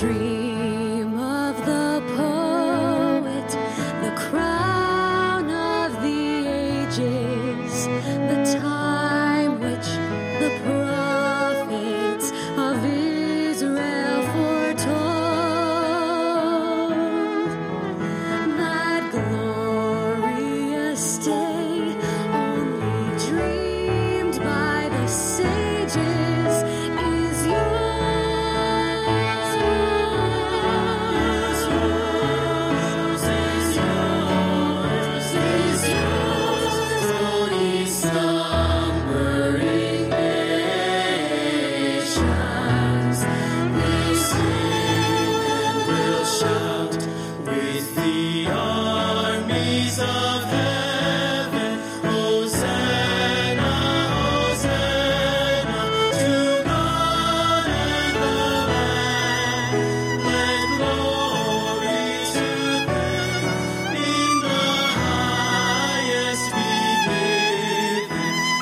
dream of the poet, the crown of the ages, the time which the prophets of Israel foretold. That glorious day only dreamed by the sages is yours. Is yours, is yours, is yours, O ye slumbering nations. We sing and will shout with the armies of heaven. Hosanna, Hosanna, to God and the Lamb. Let glory to them in the highest be given,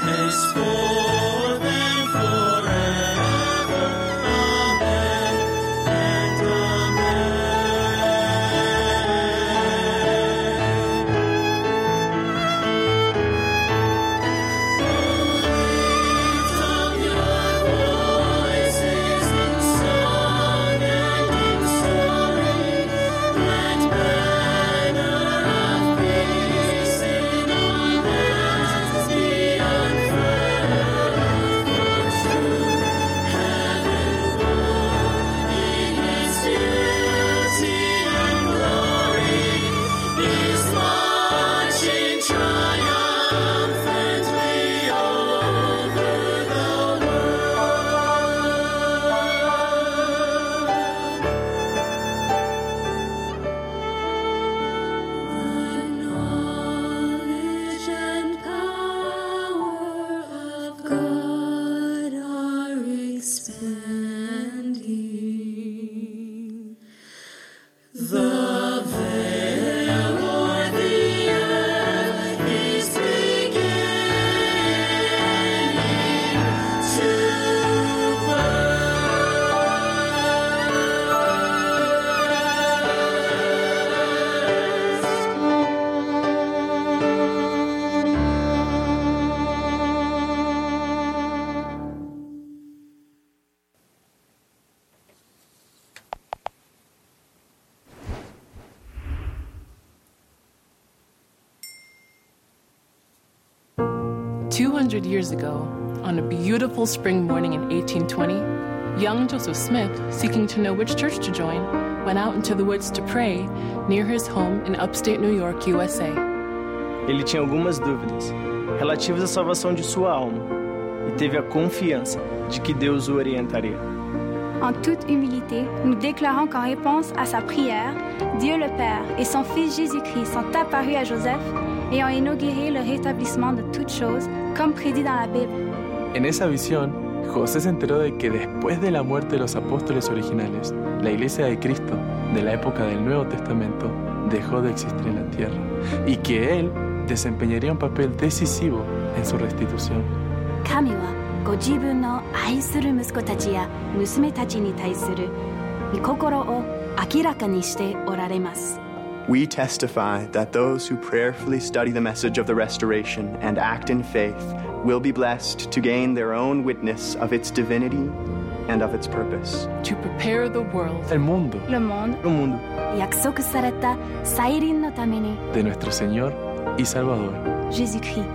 henceforth and forever. Amen and amen. Lift up your voices in song and in story. Let banner of peace in all lands be unfurled. For truth, heaven-born in its beauty and glory, is marching triumphantly over the world. The knowledge and power of God are expanding. The veil o'er the earth is beginning to burst. "200 years ago, on a beautiful spring morning in 1820, young Joseph Smith, seeking to know which church to join, went out into the woods to pray near his home in upstate New York, USA. Ele tinha algumas dúvidas relativas à salvação de sua alma e teve a confiança de que Deus o orientaria. En toute humilité, nous déclarons qu'en réponse à sa prière, Dieu le Père et son Fils Jésus-Christ sont apparus à Joseph et ont inauguré le rétablissement de toutes choses, comme prédit dans la Bible. En esa visión, José se enteró de que después de la muerte de los apóstoles originales, la Iglesia de Cristo de la época del Nuevo Testamento dejó de existir en la tierra y que él desempeñaría un papel decisivo en su restitución. 神はご自分の愛する息子たちや娘たちに対する御心を明らかにしておられます。 We testify that those who prayerfully study the message of the restoration and act in faith will be blessed to gain their own witness of its divinity and of its purpose. To prepare the world El mundo Le monde O mundo 約束された再臨のために de nuestro Señor y Salvador. Jésus-Christ.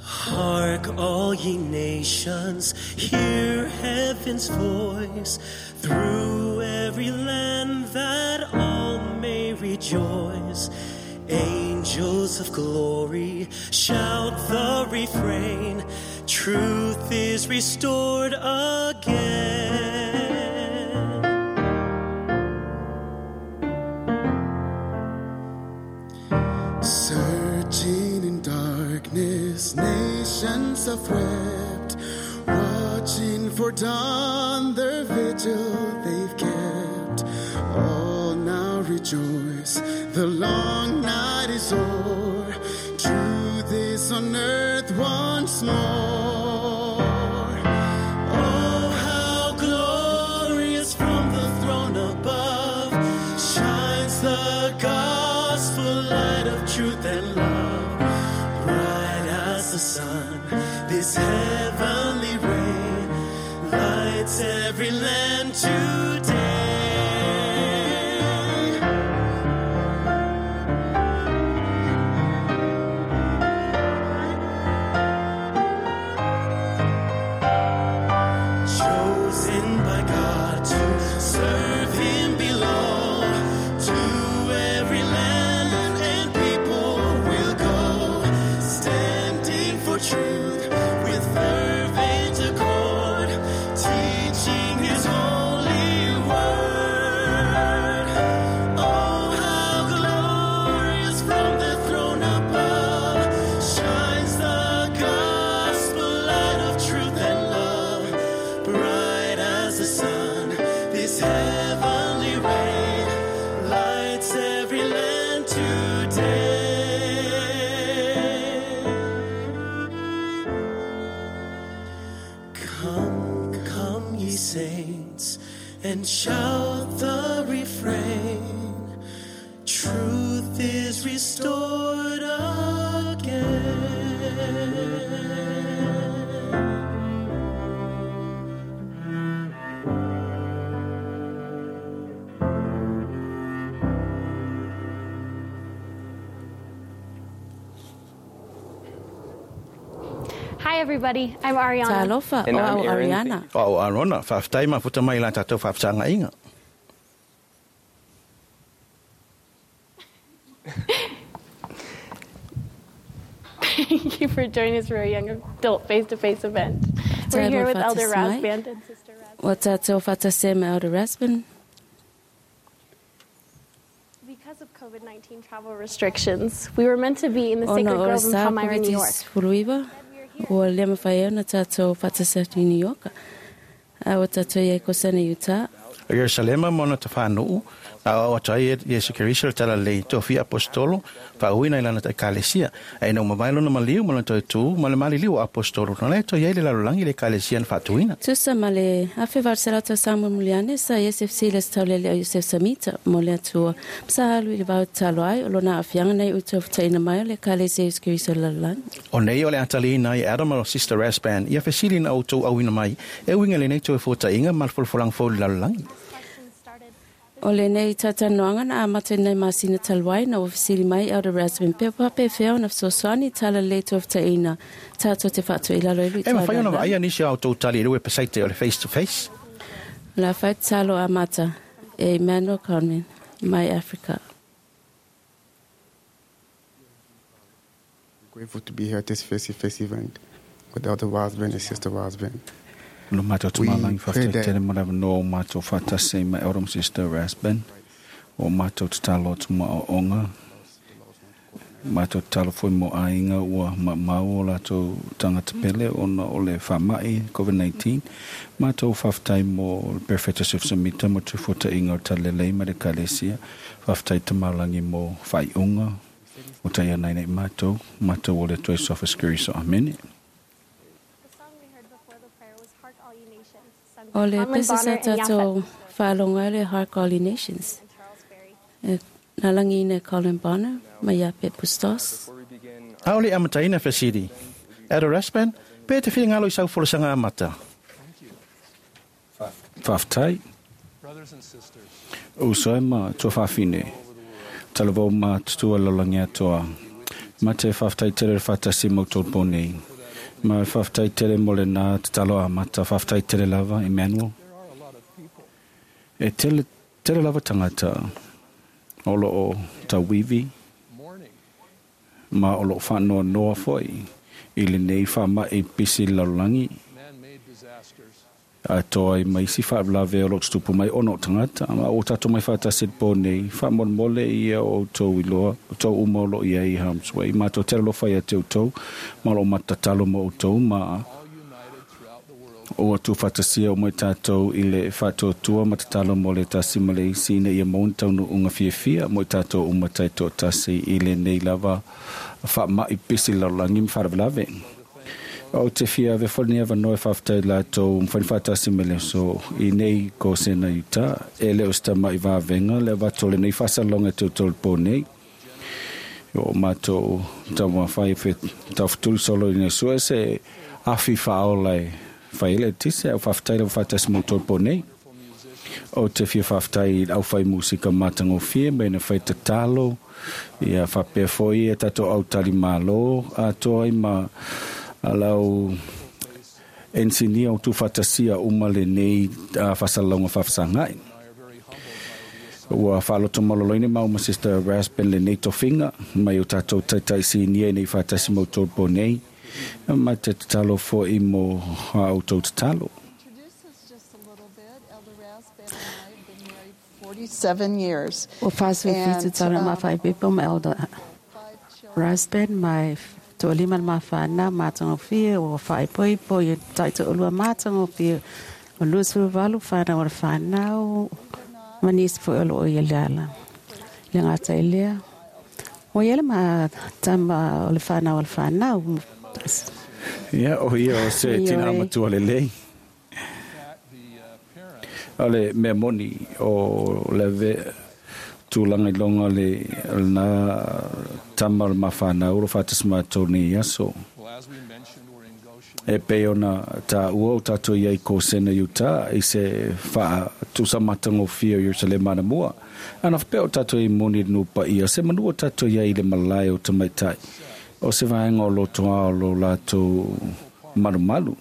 Hark, all ye nations, hear heaven's voice through every land that all may rejoice. Angels of glory, shout the refrain, truth is restored again. Searching in darkness, nations of thread. for dawn their vigil they've kept. All now rejoice, the long night is o'er. Truth is on earth once more. Oh, how glorious from the throne above shines the gospel light of truth and love. Bright as the sun, this heavenly ray lights every land today. Chosen by God to serve Him below, to every land and people will go, standing for truth with fervent accord, teaching His holy word. Oh, how glorious from the throne above shines the gospel light of truth and love. Bright as the sun, this heavenly ray lights every land today. Come, come, ye saints, and shout the refrain. Truth is restored again. Hi, everybody. I'm Ariana. Talofa, And o I'm au Aaron. Ariana. O Arona, whawhtai ma futa mai la tātou whawhtanga inga. Thank you for joining us for our young adult face-to-face event. We're Talo here with Elder whatasmai. Rasband and Sister Rasband. Wa tātou whatase ma Elder Rasband. Because of COVID-19 travel restrictions, we were meant to be in the Ona Sacred o Grove in sa Palmyra, New York. Covid furuiwa. Ua lea mawhai au na tātou whatase atu i New York. A wa tātou ia kosana Utah. O Yerusalema mona te whanuu, na o atai e Yesu Keriso le tala lei tofi apostolo, wha uina i lana te ekalesia. E no mawai lona maliu, ma lona toi tū, ma le maliliu o apostolo. Na le toi ei le lalolagi le ekalesia na whaatuina. Tusa ma le afe varsela tau Samuel Muliane sa SFC le taulele o Yosef Samita mo le atua. Psa alu i le vau talo ai o lona afianga nei utu o mai o le kalesia Yesu Keriso le lalolagi. O nei o le atalina i Adam o Sister Rasband, ia fesili na o tau auina mai, e uinga le nei toi fōta inga ma le folfolang fō le lalolagi. O le nei tatanoanga na amata nei masina talwai na ofisili mai Elder Rasband pe pape feo na fesoasoani tala le tofutaina tātou te whātua i lalo i lui E mawhai ona vaai nisi au tau tali i le website o le face to face. La whai talo amata e Emmanuel Conman, mai Africa. Grateful to be here at this face-to-face event with Elder Rasband and Sister Rasband. Lo mātou We tumalangi pray whawhtai that tere mo rawa no o mātou whatase ma Elder Sister Rasband. O mātou tatalo tuma o onga. Mātou tatalo foi mo ainga ua ma mau o lātou tangata pele ona o le whamai COVID-19. Mātou whawhtai mo Perfecta Joseph Samita mo te fuata inga o talelei ma le kalesia. Whawhtai tamalangi mo whaiunga o tai anai nei mātou. Mātou o le toi sofa skiriso. Amene. The song we heard before the prayer was Hark All Ye Nations, sung O by le Conlon pese sa Bonner and tātou Yaphet whalonga le Hark All Ye Nations. and Charles Berry. E nalangi ina Colin Bonner, mai Yaphet Bustos. Ao le amataina fesili. Elder Rasband, pe te whingalo i sau folosanga amata. Whawhtai. O soe ma tua whawhine. Talavau ma tutua lolangi atoa. Ma te whawhtai tere whatasi mo tō pōnei. Ma whawhtai tere mo le nā te talo amata. Whawhtai tere lava, Emmanuel. E tele, tele lava tangata. Olo o tauiwi. Ma o lo whanoa noa foi. I le nei wha e pisi lalolagi. A toa i mai si whaablave o lo tutupu mai ono tangata. Ma o tātou mai whātasi te pō nei. Whāmolmole ia o tau iloa. O tau uma o lo ia i harm's way. Ma tō tere lo whai a te o tau. Ma lo matatalo mo o tau. Ma Ua tuufaatasia uma i tatou i le faatuatua ma tatalo mo le tasi ma le isi ina ia maua ni taunuuga fiafia mo i tatou uma taitoatasi i lenei lava faama'i pisi lalolagi ma faalavelave. Ou te fia avea foi lenei avanoa e faafetai i latou ua mafai ona faatasi mai i le aso i nei Kosena Utah. E le o se tama'i vavega le avatu o lenei faasalaloga e toutou i le po nei. O matou taumafai e taufetuli solo ina sue se afi faaola e fai ai le eletise, ae ua faafetai lava faatasi ma outou i le po nei. Ou te fia faafetai i le aufai musika matagofie ma ina fai tatalo, ia faapea foi a tatou au talimalo atoa ai ma lau ensinia o tuufaatasia uma lenei faasalalauga faafesagai. Ua faaloto maloloina maua ma Sister Rasband lenei tofiga mai o tatou taitai sinia ina ia faatasi ma outou i le po nei, ma te tatalo foi mo a outou tatalo. Ua 47 tausaga ma faaipoipo ma Elder Rasband ma e toalima le ma fanau matagofie ua faaipoipo i taitoalua matagofie o 28 fanau o le fanau ma nisi foi o loo i le ala. Le gata i lea, ua i ai le ma tama o le fanau o le fanau. Ia, o ia o se tinā matua lelei. O le mea moni o le ave tulaga i loga o le lena tama o le mafanau o lo o faatasi matou nei aso. E pei ona taua o tatou i ai i Kosena Utah i se faatusa matagofie o Ierusalema anamua. Ana faapea o tatou i ai moni i le nuu paia, se manu o tatou i ai i le malae o tamaitai, o se vaega o lotoa o lo latou malumalu.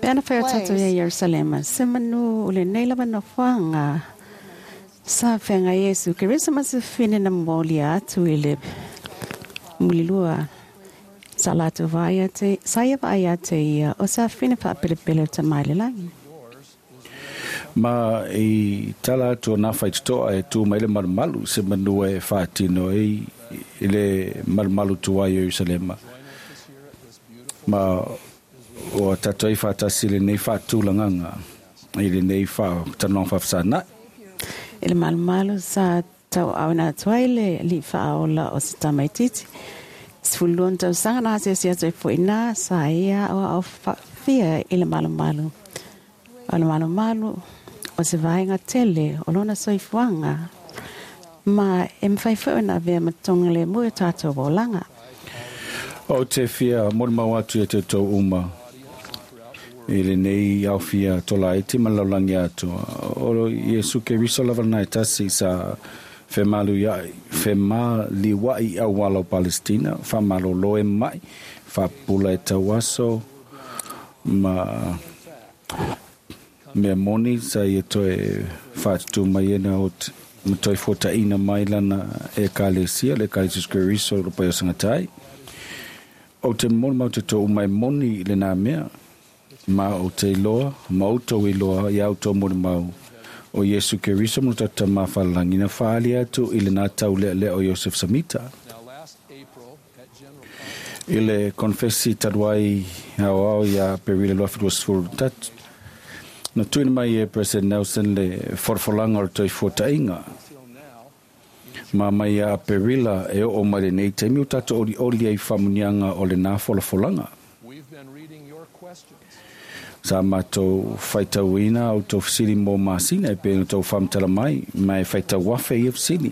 Pe ana fai o tatou ia Ierusalema, se manu o lenei lava nofoaga sa feagai Iesu Keriso ma se fine na molia atu i le mulilua sa latou vaai atu, sa ia vaai atu e ia o se afine faapelepele o Tama i le lagi. Ma i tala atu o nā faitotoa e tū mai le malumalu, se manua e faatino ai i le malumalu tuai o Ierusalema. Ma ua tatou ai faatasi i lenei faatulagaga, i lenei talanoaga faafesagai. I le malumalu sa tauaaoina atu ai le alii faaola o se tamaitiiti 12 tausaga na asiasi atu ai foi ina sa ia aoao faafia i le malumalu. O le malumalu o se vaega tele o lona soifuaga ma e mafai foi ona avea ma togalemu i o tatou olaga. Ou te fia molimau atu ia te outou uma i lenei aofia tolaiti ma le lalolagi atoa. O Iesu Keriso lava lena e tasi sa femaliua'i i auala o Palestina, faamalolo e ma'i, faapupula e tauaso ma mea moni sa ia toe faatutū mai ai na ma toe fuataʻina mai lana Ekalesia, le Ekalesia Iesu Keriso o lo paia o sagatai. Ou te molimau te tou uma e moni i lenā mea, ma ou te iloa, ma outou iloa i a outou molimau, o Iesu Keriso ma lo tatou Tama Falelangi na faaali atu i lenā taulealea o Iosef Samita. I le konfesi talu ai aoao ia Aperila 2023, na tuuina mai e President Nelson le folafolaga o le toe fuataʻiga. Ma mai ia Aperila e oo mai lenei taimi ua tatou olioli ai i faamuniaga o lenā folafolaga. Sa matou faitauina a outou fesili mo masina e pei ona outou faamatala mai, ma e faitau afe ia fesili.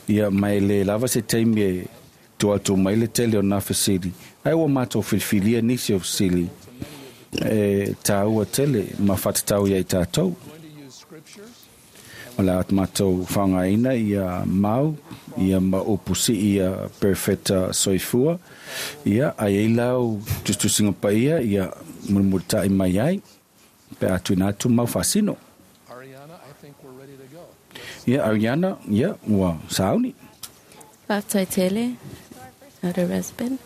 Ia, ma e le lava se taimi e tua atu mai le tele o nā fesili, ae ua matou filifilia nisi o fesili e tāua tele ma faatatau ia i tatou. O le a matou faaaogaina ia mau ia ma upu sii ia Perofeta Soifua, ia ai ai lau tusitusiga paia ia mulimulitaʻi mai ai pe a tuuina atu mau faasino. Ia Ariana, ia ua sauni. Faafetai tele, Elder Rasband.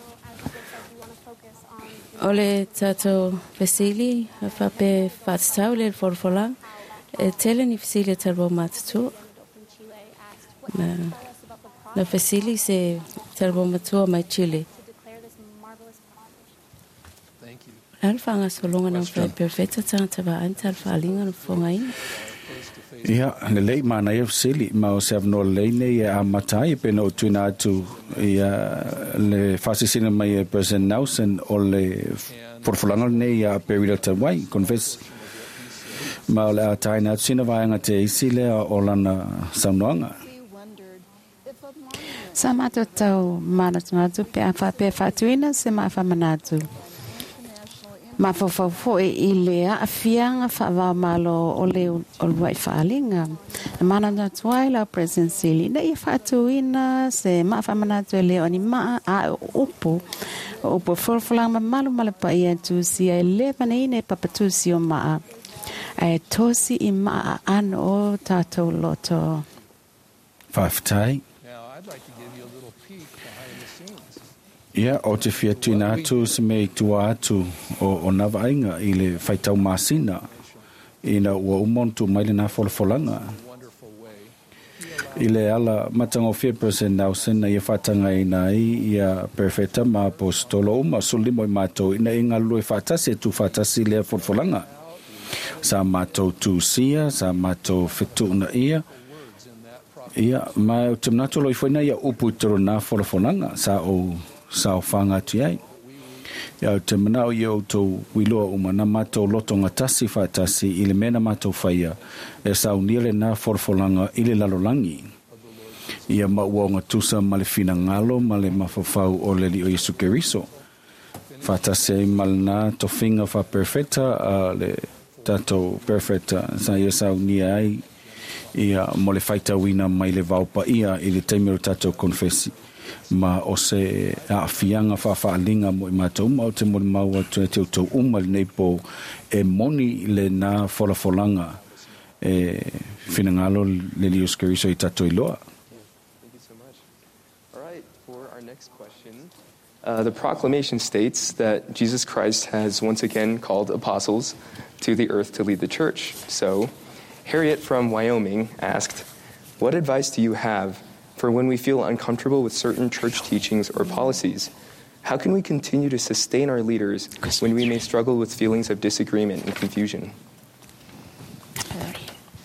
O le tatou fesili faapea faatatau le folafolaga, e tele ni fesili a talua matutua. Na, na fesili se talua matua mai Chile. Le a le faagasologa na mafai e perofeta tagata vaai ma tala faaaliga ona fofogaina? Ia, lelei, manaia fesili, ma o se avanoa lelei nei e amata ai, pei ona ou tuuina atu ia le faasilasila mai e President Nelson o le folafolaga lenei ia Aperila talu ai, confess. Ma o le a taina atu sina vaega te isi lea o lana saunoaga. Sa matou tau manatunatu pe a faapea e faatuina se maa faamanatu mafaufau foi i le aafiaga faava-o-Malo o le uluai faaaliga. Na manatunatu ai lau President Sealy ina ia faatuina se maa faamanatu e le o ni maa a o upu, o upu e folafolaga mamalu ma le paia e tusia e le vaneina i papa tusi o maa, ae tosi i maa aano o tatou loto. Faafetai. Ia, ou te fia tuuina atu se mea i tua atu o nā vaaiga i le faitau masina ina ua uma ona tuu mai lenā folafolaga. I le ala matagofie President Nelson na ia faatagaina ai ia Perofeta ma Aposetolo uma, 15 o i matou ina ia galulue faatasi e tuufaatasi lea folafolaga. Sa matou tusia, sa matou fetuunaia, Ia, ma ou te manatu o lo o ifo ai nai au upu i totonu o lena folafolaga sa ou saofaga atu i ai. Ia, ou te manao ia outou iloa uma na matou lotogatasi faatasi i le mea na matou faia e saunia lena folafolaga i le lalolagi. Ia, ma ua ogatusa ma le finagalo ma le mafaufau o le Alii o Iesu Keriso, faatasi ai ma lena tofiga faaperefeta a le tatou perefeta sa ia saunia ai ia mo le faitauina mai le vao paia i le taimi o le tatou konefesi. Ma o se aafiaga faafaaaliga mo i matou uma, ou te molimau atu ia te outou uma i lenei po, e moni lena folafolaga e finagalo le Alii Iesu Keriso i tatou iloa. Thank you so much. All right, for our next question, the proclamation states that Jesus Christ has once again called apostles to the earth to lead the church. So, Harriet from Wyoming asked, What advice do you have for when we feel uncomfortable with certain church teachings or policies? How can we continue to sustain our leaders when we may struggle with feelings of disagreement and confusion?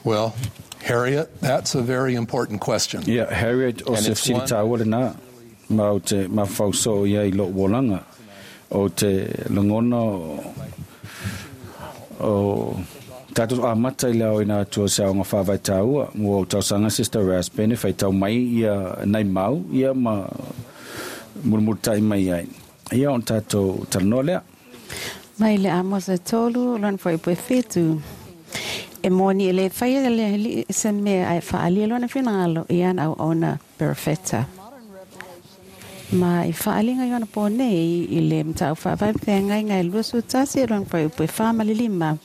Well, Harriet, that's a very important question. Ia, Harriet, o se fesili tāua lenā, ma ou te mafaufau soo i ai i lo'u olaga, o te lagona o tatou amata i le aoina atu o se aoga faavae tāua. Ua ou talosaga Sister Rasband e faitau mai ia nai mau ia ma mulimulita'i mai ai. Ia ona tatou talanoa lea. Mai le Amosa 3, lona fuaiupu e 7. E moni e le faia e le Alii se mea ae faaalia lona finagalo i ana auauna perofeta. Ma i faaaliga i ona po nei i le mataupu faavae feagaiga e 21 lona fuaiupu e 4 ma le 5.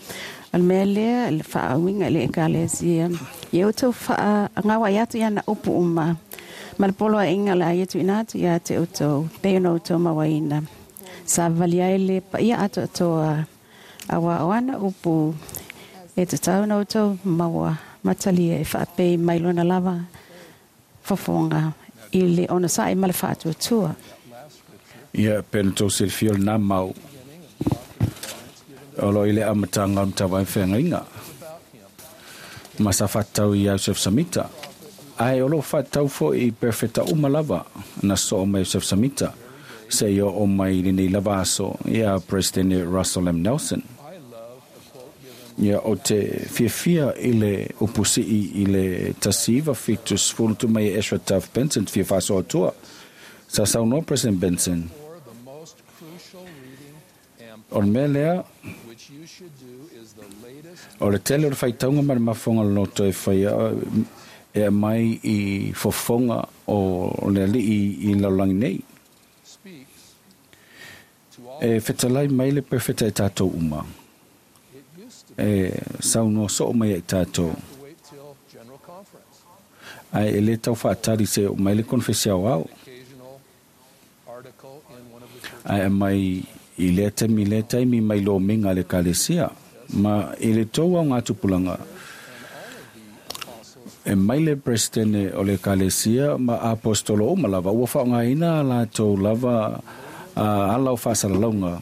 O le mea lea le faauiga i le Ekalesia, ia outou faagauai atu i ana upu uma, ma le poloaiga o le a ia tuuina atu ia te outou, pei ona outou mauaina. Savali ai le paia atoatoa, auā o ana upu e tatau ona outou maua matalia e faapei mai lona lava fofoga i le onosai ma le faatuatua. Ia, pei ona tou silafia o lena mau o lo o i le amataga o le Matavae Feagaiga ma sa faatatau i Iosef Samita, ae o lo o faatatau foi i perofeta uma lava na soo mai Iosef Samita seia oo mai i lenei lava aso ia Peresetene Russell M. Nelson. Ia, ou te fiafia i le upu sii i le 1970 tu mai e Ezra Taft Benson te fia faasoa atua. Sa saunoa President Benson, O le mea lea, o le tele o le faitauga ma le mafoga o le loto e faia e aumai i fofoga o le Alii i le lalolagi nei. E fetalai mai le Perofeta i tatou uma. E saunoa soo mai ai tatou. Ae e le tau faatali se oo mai le konefesi aoao. Ae aumai i lea taimi lea taimi mai lomiga a le Ekalesia. Ma i le tou aogatupulaga, e mai le Peresetene o le Ekalesia ma Aposetolo uma lava ua faaaogaina a latou lava ala o faasalalauga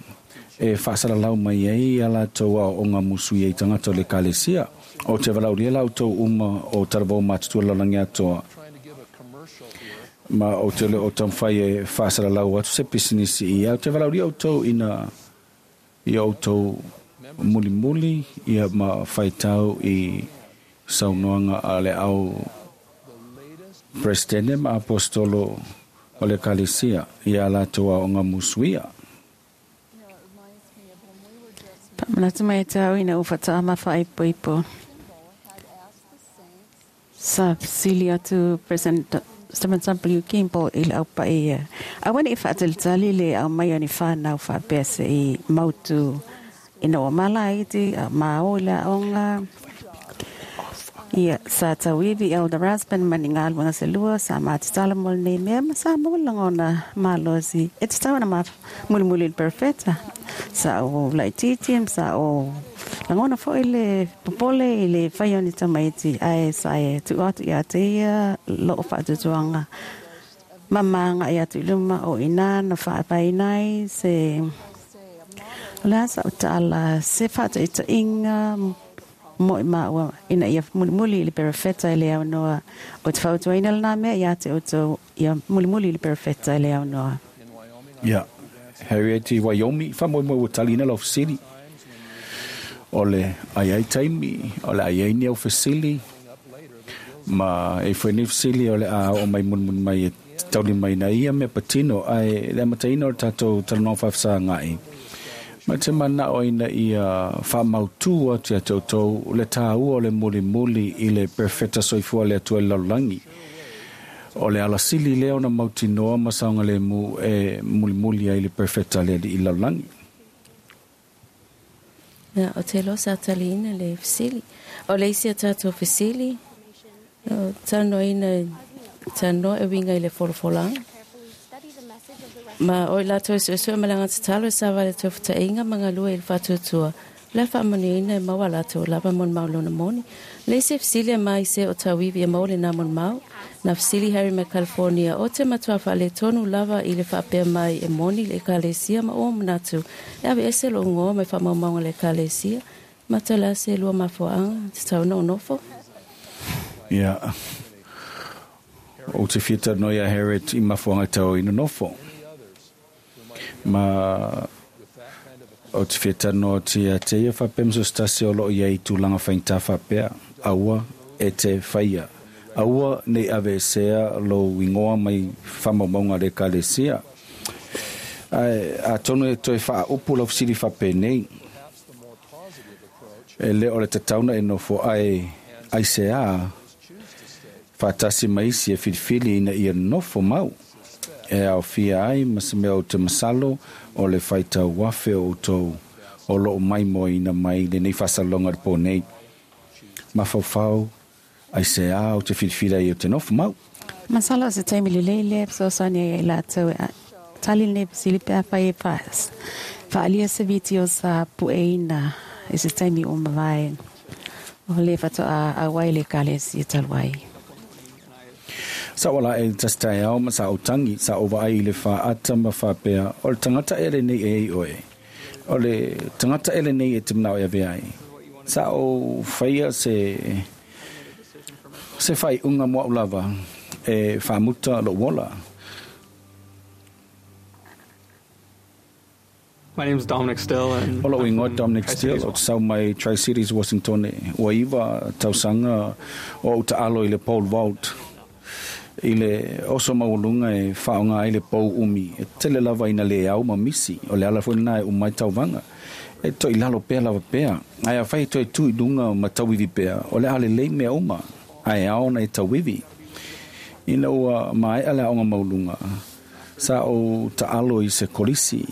e faasalalau mai ai ia latou aoaoga musuia i tagata o le Ekalesia. Ou te valaaulia la outou uma o talavou matutua i le lalolagi atoa, ma ou te le o taumafai e faasalalau atu se pisinisi i ia. Ou te valaaulia outou ina ia outou mulimuli ia ma faitau i saunoaga a le au Peresetene ma Aposetolo o le Ekalesia i a latou aoga musuia. Faamanatu mai te au ina ua faatoa faaipoipo. Sa fesili atu President Stephen W. Kimball i le aupai ia. Aua ne i faatalitali le aumai o ni whanau faapea se i mautu ina ua malaiti, a ma o i le aoga. Ia, sa tauivi Elder Rasband ma ni galuega se lua, sa matatala mo lenei mea ma sa maua le lagona malosi e tatau ona mulimuli i le perofeta. Sa ou laitiiti ma sa ou lagona foi le popole i le fai o ni tamaiti, ae sa e tuu atu ia te ia loo faatuatuaga ma maga i atu i luma o i ina na faapaina ai se o le a sa ou tala se faataitaiga mo i maua ina ia mulimuli i le perofeta e le aunoa. Ou te fautuaina lenā mea ia te outou ia mulimuli i le perofeta e le aunoa. Ia, Harriet i Wyoming, faamoemoe ua taliina lau fesili. O le a i ai taimi, o le a i ai ni au fesili, ma e foi nei fesili o le a oo mai mulimuli mai e taulimaina ai ia mea patino, ae le amataina o le tatou talanoaga faafesagai, Ma te manao ina ia faamautu atu ia te outou le tāua o le mulimuli i le Perofeta Soifua a le Atua i le lalolagi. O le ala sili lea ona mautinoa ma saogalemu e mulimuli ai le Perofeta a le Alii i le lalolagi. Ia, ou te iloa sa taliina le fesili. O le isi a tatou fesili, o talanoaina, talanoa e uiga i le folafolaga. Ma o i latou e suesue ma le agaga tatalo e savali i le tofutaiga ma galue i le faatuatua, o le a faamanuiaina e maua a latou lava molimau lona moni. Le isi e fesili e mai se o tauivi e maua lena molimau. Na fesili Harry mai California, O te matua faaletonu lava i le faapea mai e moni le Ekalesia ma ua manatu e aveese lou igoa mai faamaumauga a le Ekalesia, ma tala se lua mafuaaga tatau ona ou nofo? Ia, ou te fia talanoa iā Harriet i mafuaaga tau ai nonofo. Ma ou te fia talanoa atu ia te ia faapea ma so se tasi o lo o i ai i tulaga faigata faapea, aua e te whaia. Aua nei aveesea lou ingoa mai faamaumauga a le Ekalesia. Ae atonu e toe faaupu lau fesili faapenei, E le o le tatau na e nofo ae aiseā faatasi ma isi e filifili ina ia nofo mau e aofia ai ma se mea ou te masalo o le faitau afe o outou o loo maimoaina mai lenei faasalaloga i le po nei. Mafaufau aiseā ou te filifili ai ou te nofo mau. Masalo o se taimi lelei lea e fesoasoani ai ia i latou e tali lenei fesili pe afai e faaalia se vitio sa pueina i se taimi ua mavae o lea faatoa auai le Ekalesia talu ai. Sa ou ala ae i le tasi taeao ma sa ou tangi, sa ou vaai i le faata ma faapea, O le tagata ea lenei e ai oe? O le tagata ea lenei e te manao e ave ai? Sa ou faia se se faaiuga mo au lava e faamuta lou ola. My name is Dominic Still and O lou I'm ingoa from Dominic Still, Tri-Cities. ou te sau mai Tri-Cities, Washingtone. Ua iva tausaga o ou taalo i le pole vault i le oso maualuga e faaaoga ai le pou umi. E tele lava ina le au ma misi, o le ala foi lena e uma ai tauvaga. E toe i lalo pea lava pea, ae afai e toe tu i luga ma tauivi pea, o le a lelei mea uma, ae ao ona e tauivi. Ina ua maea le aoga maualuga, sa ou taalo i se kolisi.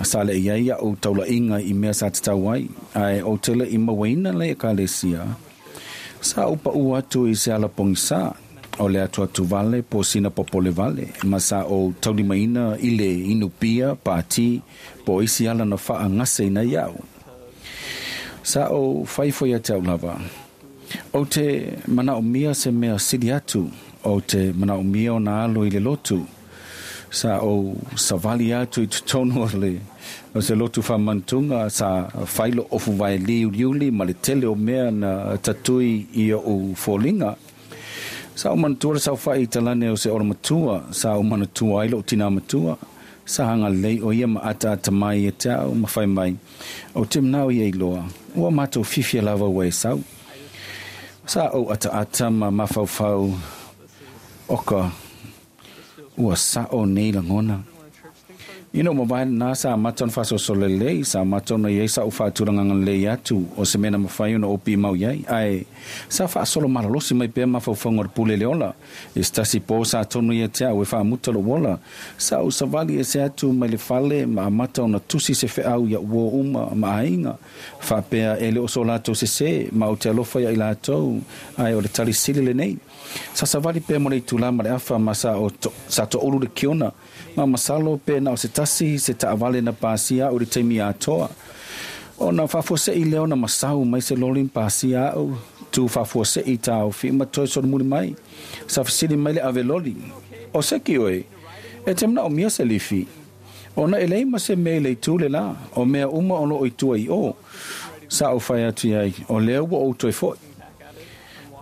Sa leʻi ai aʻu taulaʻiga i mea sa tatau ai, ae ou te le i mauaina le Ekalesia. Sa ou paʻu atu i se ala pogisā, o le atuatu vale po sina popole vale, ma sa ou taulimaina i le inu pia, pāti, po o isi ala na faagaseina iaʻu. Sa ou fai foi ia te au lava. Ou te manaomia se mea sili atu, ou te manaomia ona alo i le lotu. Sa ou savali atu i totonu o le o se lotu faamanatuga sa fai lo'u ofuvae liuliuli ma le tele o mea na tatui i o'u foliga. Sa ou manatua le saofa'i i talane o se olomatua sa ou manatua ai lo'u tinā matua. Sa agalelei o ia ma ataata mai ia te a'u ma fai mai, Ou te manao ia iloa, ua matou fiafia lava ua e sau. Sa ou ataata ma mafaufau, Oka, ua sa'o nei lagona. Ina ua mavae lenā sa amata ona faasolosolo lelei, sa amata ona i ai sa'u faatulagaga lelei atu o se mea na mafai ona ou pimau i ai, ae sa faasolo malolosi mai pea mafaufauga o le pule le ola. I se tasi pō sa tonu ia te a'u e faamuta lo'u ola, sa ou savali ese atu mai le fale ma amata ona tusi se fe'au ia'u uō uma ma aiga, faapea e le o so latou sesē, ma ou te alofa ia i latou, ae o le tali sili lenei. Sa savali pea mo le itulā ma le afa ma sa o sa toʻulu le kiona, ma masalo pe na o se tasi se taʻavale na pasia aʻu i le taimi atoa. Ona faafuaseʻi lea ona masau mai se loli ma pasia aʻu, tu faafuaseʻi taofi ma toe solomuli mai. Sa fesili mai le ave loli, O seki oe, e te manaʻomia se lifi? Ona e leai ma se mea i le itu le lā, o mea uma o loo i tua i ʻō. Sa ou fai atu i ai, o lea ua ou toe foʻi.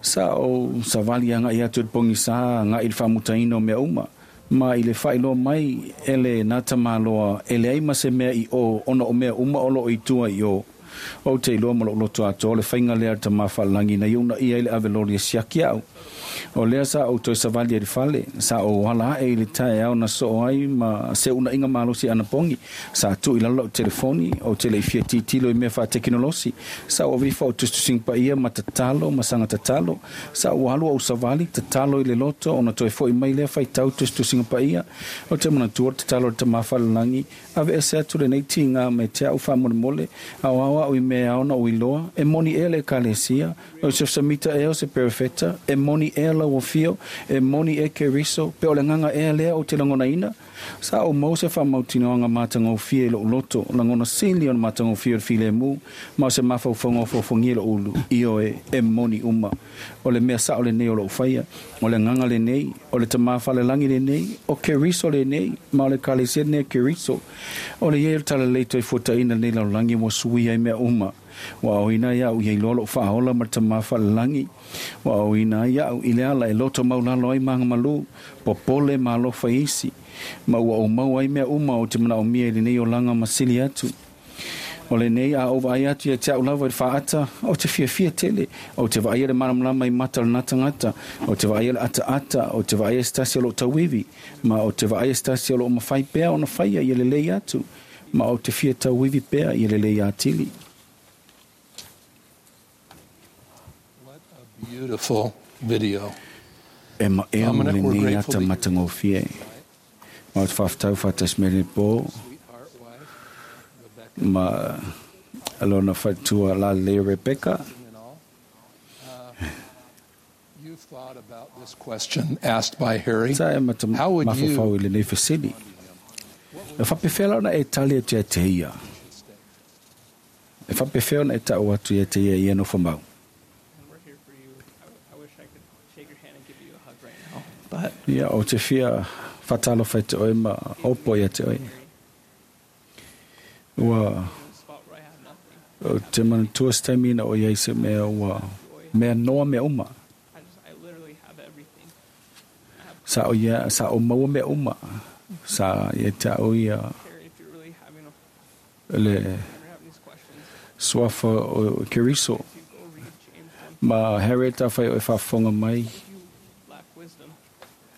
Sa ou savali agaʻi atu i le pogisā agaʻi i le faamutaina o mea uma, ma i le faailoa mai e le Natamaloa e leai ma se mea i ʻō ona o mea uma o loo i tua i ʻō. Ou te iloa ma loʻu loto atoa le faiga lea a le Tamā Faalelagi na iunaʻia ai le ave loli e siaki aʻu. O lea sa ou toe savali ai i le fale, sa ou ala aʻe i le taeao na soo ai ma se unaʻiga malosi anapogi. Sa tuu i lalo lau telefoni, ou te le i fia tilotilo i mea faatekinolosi. Sa ou ave ifo au tusitusiga paia ma tatalo ma saga tatalo. Sa ou alu ou savali, tatalo i le loto ona toe foʻi mai lea faitau tusitusiga paia. Ou te manatua le tatalo a le Tamā Faalelagi, Aveese atu lenei tīgā mai te a'u faamolemole, aoao a'u i mea e ao ona ou iloa, e moni ea le Ekalesia, o Joseph Samita ea o se perofeta, e moni ea lau afio, e moni ea Keriso, pe o le agaga ea lea ou te lagonaina? Sa ou maua se faamautinoaga matagofie i lo'u loto, lagona sili o le matagofie o le filemu, ma o se mafaufauga ofoofogia i lo'u ulu, ioe, e moni uma. O le mea sa'o lenei o lo'u faia, o le agaga lenei, o le Tamā Falelagi lenei, o Keriso lenei, ma o le Ekalesia lenei a Keriso. O le i ai o le Talalelei toe fuataina lenei lalolagi ua suia ai mea uma. Ua aoina ai aʻu ia iloa loʻu faaola ma le Tamā Falelagi. Ua aoina ai aʻu i le ala e loto maulalo ai ma agamalū, popole ma alofa i isi, ma ua ou maua ai mea uma ou te manaʻomia i lenei olaga ma sili atu. O lenei, a ou vaai atu ia te a'u lava i le faaata, ou te fiafia tele, ou te vaaia le malamalama i mata o lena tagata, ou te vaaia le ataata, ou te vaaia se tasi o loo tauivi, ma ou te vaaia se tasi o loo mafai pea ona faia ia lelei atu, ma ou te fia tauivi pea ia lelei atili. What a beautiful video. E maea ma Dominic, we're lenei grateful ata that you're matagofie. Ma ou te faafetau faatasi mai lenei pō ma lona faletua lalelei o Rebecca. You've thought about this question asked by Harry. Sa e mata How would you mafaufau i lenei fesili. E faapefea la ona e tali atu ia te ia? E faapefea ona e ta'u atu ia te ia i ia nofo mau? Ia, ou te fia faatalofa i te oe ma opo ia te oe. Ua, ou te manatua se taimi ina o i ai se mea ua mea noa mea uma. Sa o ia, sa o maua mea uma. Sa ia te au ia le suafa o Keriso. Ma Harriet, afai o e faafofoga mai,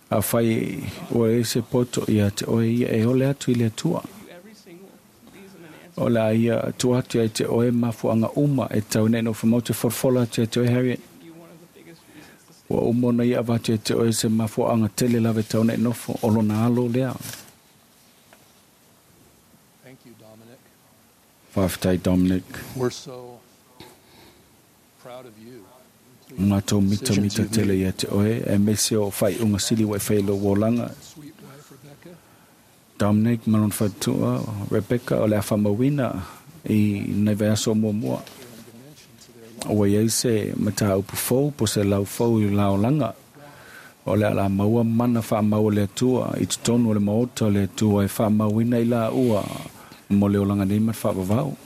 afai ua i ai se poto ia te oe ia e ole atu i le Atua. O le a ia tua atu ia te oe mafuaaga uma e tau nei nofo mau te folafola atu ia te oe Harriet. Ua uma ona ia avatu ia te oe se mafuaaga tele lava e tau nei nofo o lona alo lea. Thank you, Dominic. Faafetai Dominic. We're so proud of you. Matou mitamita tele ia te oe, aemaise o faaiuga sili ua e fai i lou olaga. Dominic ma lona faletua, Rebecca, o le a faamauina i nai vaiaso o muamua. Ua i ai se mataupu fou po o se lau fou i la olaga. O le a la maua mana faamau a le Atua i totonu o le maota o le Atua e faamauina i laua mo le olaga nei ma le faavavau.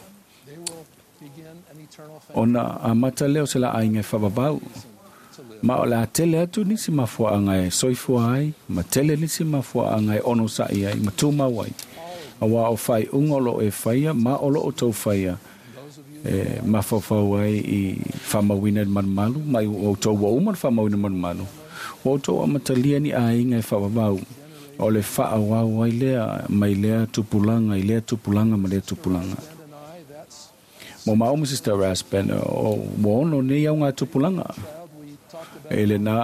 Ona amata lea o se laaiga e faavavau. Ma o le a tele atu nisi mafuaaga e soifua ai, ma tele nisi mafuaaga e onosa'i ai ma tumau ai. Auā o faaiuga o loo e faia ma o loo tou faia e mafaufau ai i faamauina i le malumalu, ma ua outou ua uma ona faamauina i le malumalu, ua outou amatalia ni aiga e faavavau, o le faaauau ai lea mai lea tupulaga i lea tupulaga ma lea tupulaga. Mo maʻu ma Sister Rasband, ua ono nei augatupulaga i lenā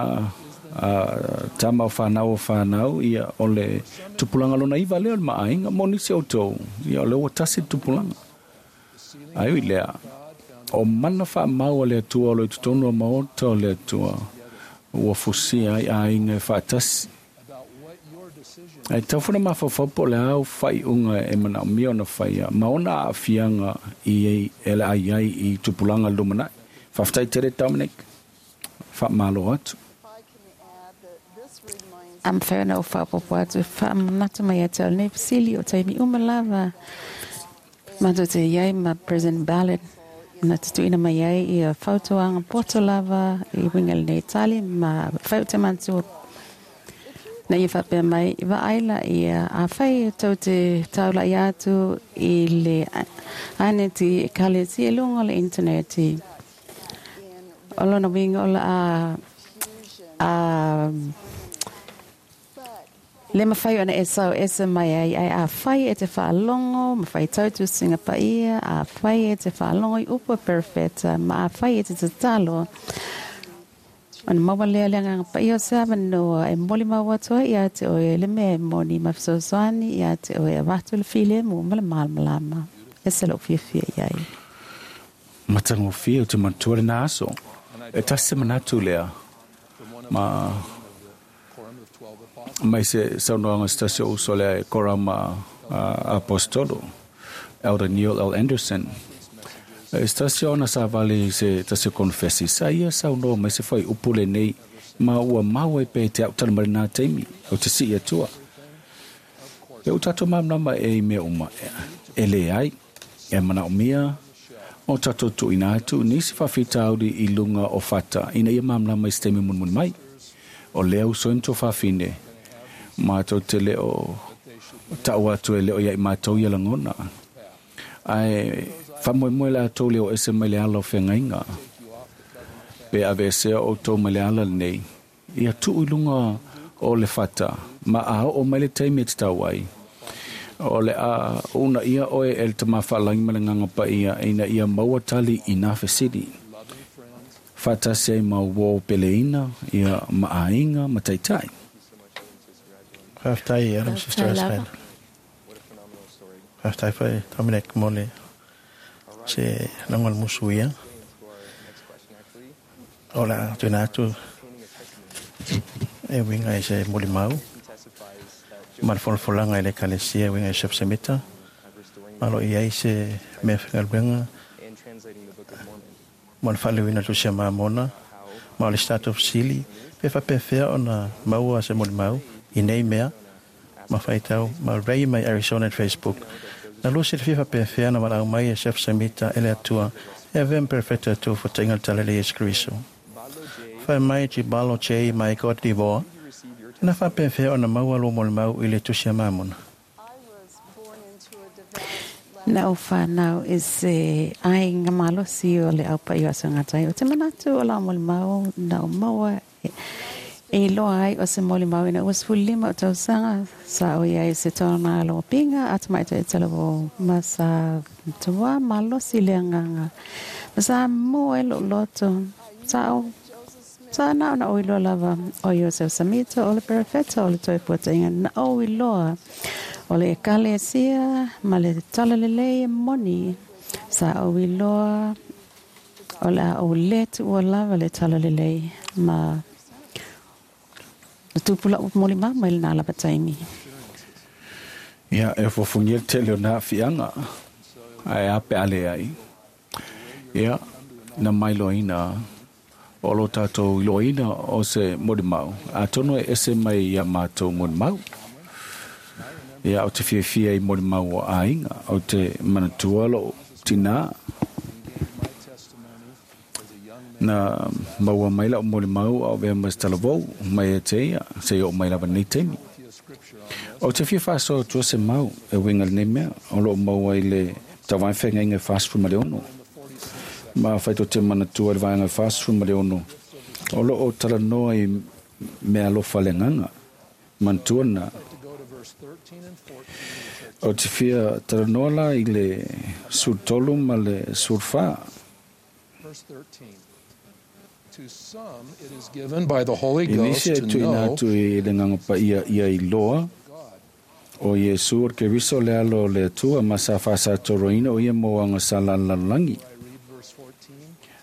tama o fanau o fanau, ia, o le tupulaga lona iva lea o le maʻaiga. Mo nisi o outou, ia, o lea ua tasi le tupulaga. Ae ui i lea, o mana faamau a le Atua o lo o i totonu o maota o le Atua, ua fusia ai aiga e faatasi. Ae tatau foi ona mafaufau po o le a au faaiuga e manaomia ona faia ma ona aafiaga i e le a i ai i tupulaga lumanai. Faafetai tele Dominic. Faamalo atu. A mafai ona ou faaopoopo atu e faamanatu mai ia te au lenei fesili o taimi uma lava matou te i ai ma President Ballard na te tuuina mai ai ia fautuaga poto lava i uiga i lenei tali ma fai o te manatua na ia faapea mai vaai la ia afai tou te taulai atu i le aneti ekalesia i luga o le internet o lona uiga o le a a le mafai ona e sau ese mai ai, ae afai e te faalogo ma faitau tusiga paia, afai e te faalogo i upu a perofeta, ma afai e te tatalo, ona maua lea le Agaga Paia o se avanoa e molimau atu ai ia te oe le mea e moni ma fesoasoani ia te oe e avatu le filemu ma le malamalama. Ese lou fiafia i ai. Matagofie o te manatua lena aso. E tasi se manatu lea ma mai se saunoaga se tasi o uso lea e kora ma Apostolo, Elder Neil L. Andersen. E se tasi o ana savali i se tasi o konofesi, sa ia saunoa mai se fuaiupu lenei, ma ua mau ai pea i te au tala mai lenā taimi, o te sii atua. E ua tatou malamalama e i mea uma, e leai, e manaomia o tatou tuuina atu nisi faafitauli i luga o fata ina ia malamalama i se taimi mulimuli mai. O lea uso ai ma tuafafine, matou te le o tau atu e le o ia i matou ia lagona. Ae faamoemoe latou le o ese mai le ala o feagaiga. Pe aveesea outou mai le ala lenei, ia tuu i luga o le fata, ma a oo mai le taimi e tatau ai, o le a uunaia oe e le Tama Faalagi ma le Agaga Paia ina ia maua tali i nā fesili. Faatasi ai ma uō peleina, ia, ma aiga, ma taitai. Faafetai Adam Sister Aspen. Faafetai foi Dominic mo le se lagona musu ia. O le a tuuina atu e uiga i se molimau ma le folafolaga i le Ekalesia e uiga i Joseph Semita, ma o lo o i ai se mea faigaluega mo le faaleuina o le Tusi a Mamona, ma o le isi tatou fesili, pe faapefea ona maua se molimau i nei mea, ma faitau ma Ray mai Arizona i le Facebook. Na lua silafia faapefea na valaau mai e Joseph Semita e le Atua e avea ma perofeta e tu fotaiga le Tala i le Iesu Keriso. Fai mai Jibalo J mai Cote d'Ivoire, na faapefea ona maua lou molimau i le Tusi a Mamona? Na ou whanau i se aiga malosi o le au paʻi o Aso Gata ai. O te manatu o lau molimau na ou maua e iloa ai o se molimau ina ua 15 o tausaga sa o i ai se tona lopiga a tamaitai talavou ma sa matua malosi le agaga ma sa mua ai lou loto sa ou Sa na ona ou iloa lava o Iosef Samito o le perofeta o le Toefuataiga na ou iloa o le Ekalesia ma le Talalelei e moni. Sa ou iloa o le a ou le tuua lava le Talalelei ma na tupu la'u molimau mai lenā lava taimi. Ia, e ofuofugia le tele o nā aafiaga, ae a pe a leai. Ia, na mailoaina. O lo tātou iloaina o se molimau, atonu e ese mai ia mātou molimau. Ia o te fiafia i molimau o aiga, o te manatua lo tinā. Na maua mai lau molimau a o vea ma se talavou mai e te ia, se i o mai lava nei taimi. O te fia whaasoa tua se mau e winga le nei mea, o lo maua i le tawai whengainga 46. Ma whaito te manatua le vaenga 46. O lo o talanoa i mea alofa le nganga, manatua na. O te fia talanoa la i le 13 ma le 14. Verse 13. To some it is given by the Holy I Ghost nisi e to tuina know atu i le nganga pa ia ia i loa, o Iesu o ke riso le alo o le Atua ma sa whasatoroina o ia mo anga sa lalalangi.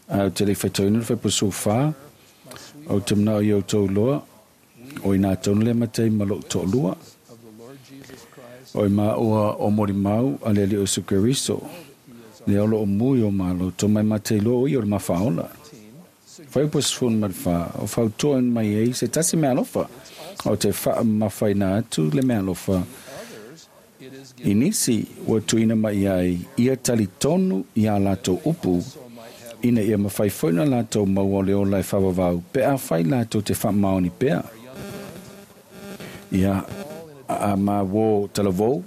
A o te le whaitoina le whaipusu whā, o te mnao i au tau loa, o i nā taunu le matei ma lo tō lua, o i mā ua o mori mau a le ali o Iesu Keriso, le olo o mui o malo, tō mai matei loa o i o le mawhaola. Whaipusu fun ma le whā, o whautoa mai ei se tasi mea alofa, o te wha mawhai nā atu le mea alofa. I nisi ua tuina mai ai ia tali tonu i a lātou upu, ina ia mawhai foina lātou mau o le ola e whawawau, pe a whai lātou te whamaoni pea. Ia a mā wō talavou,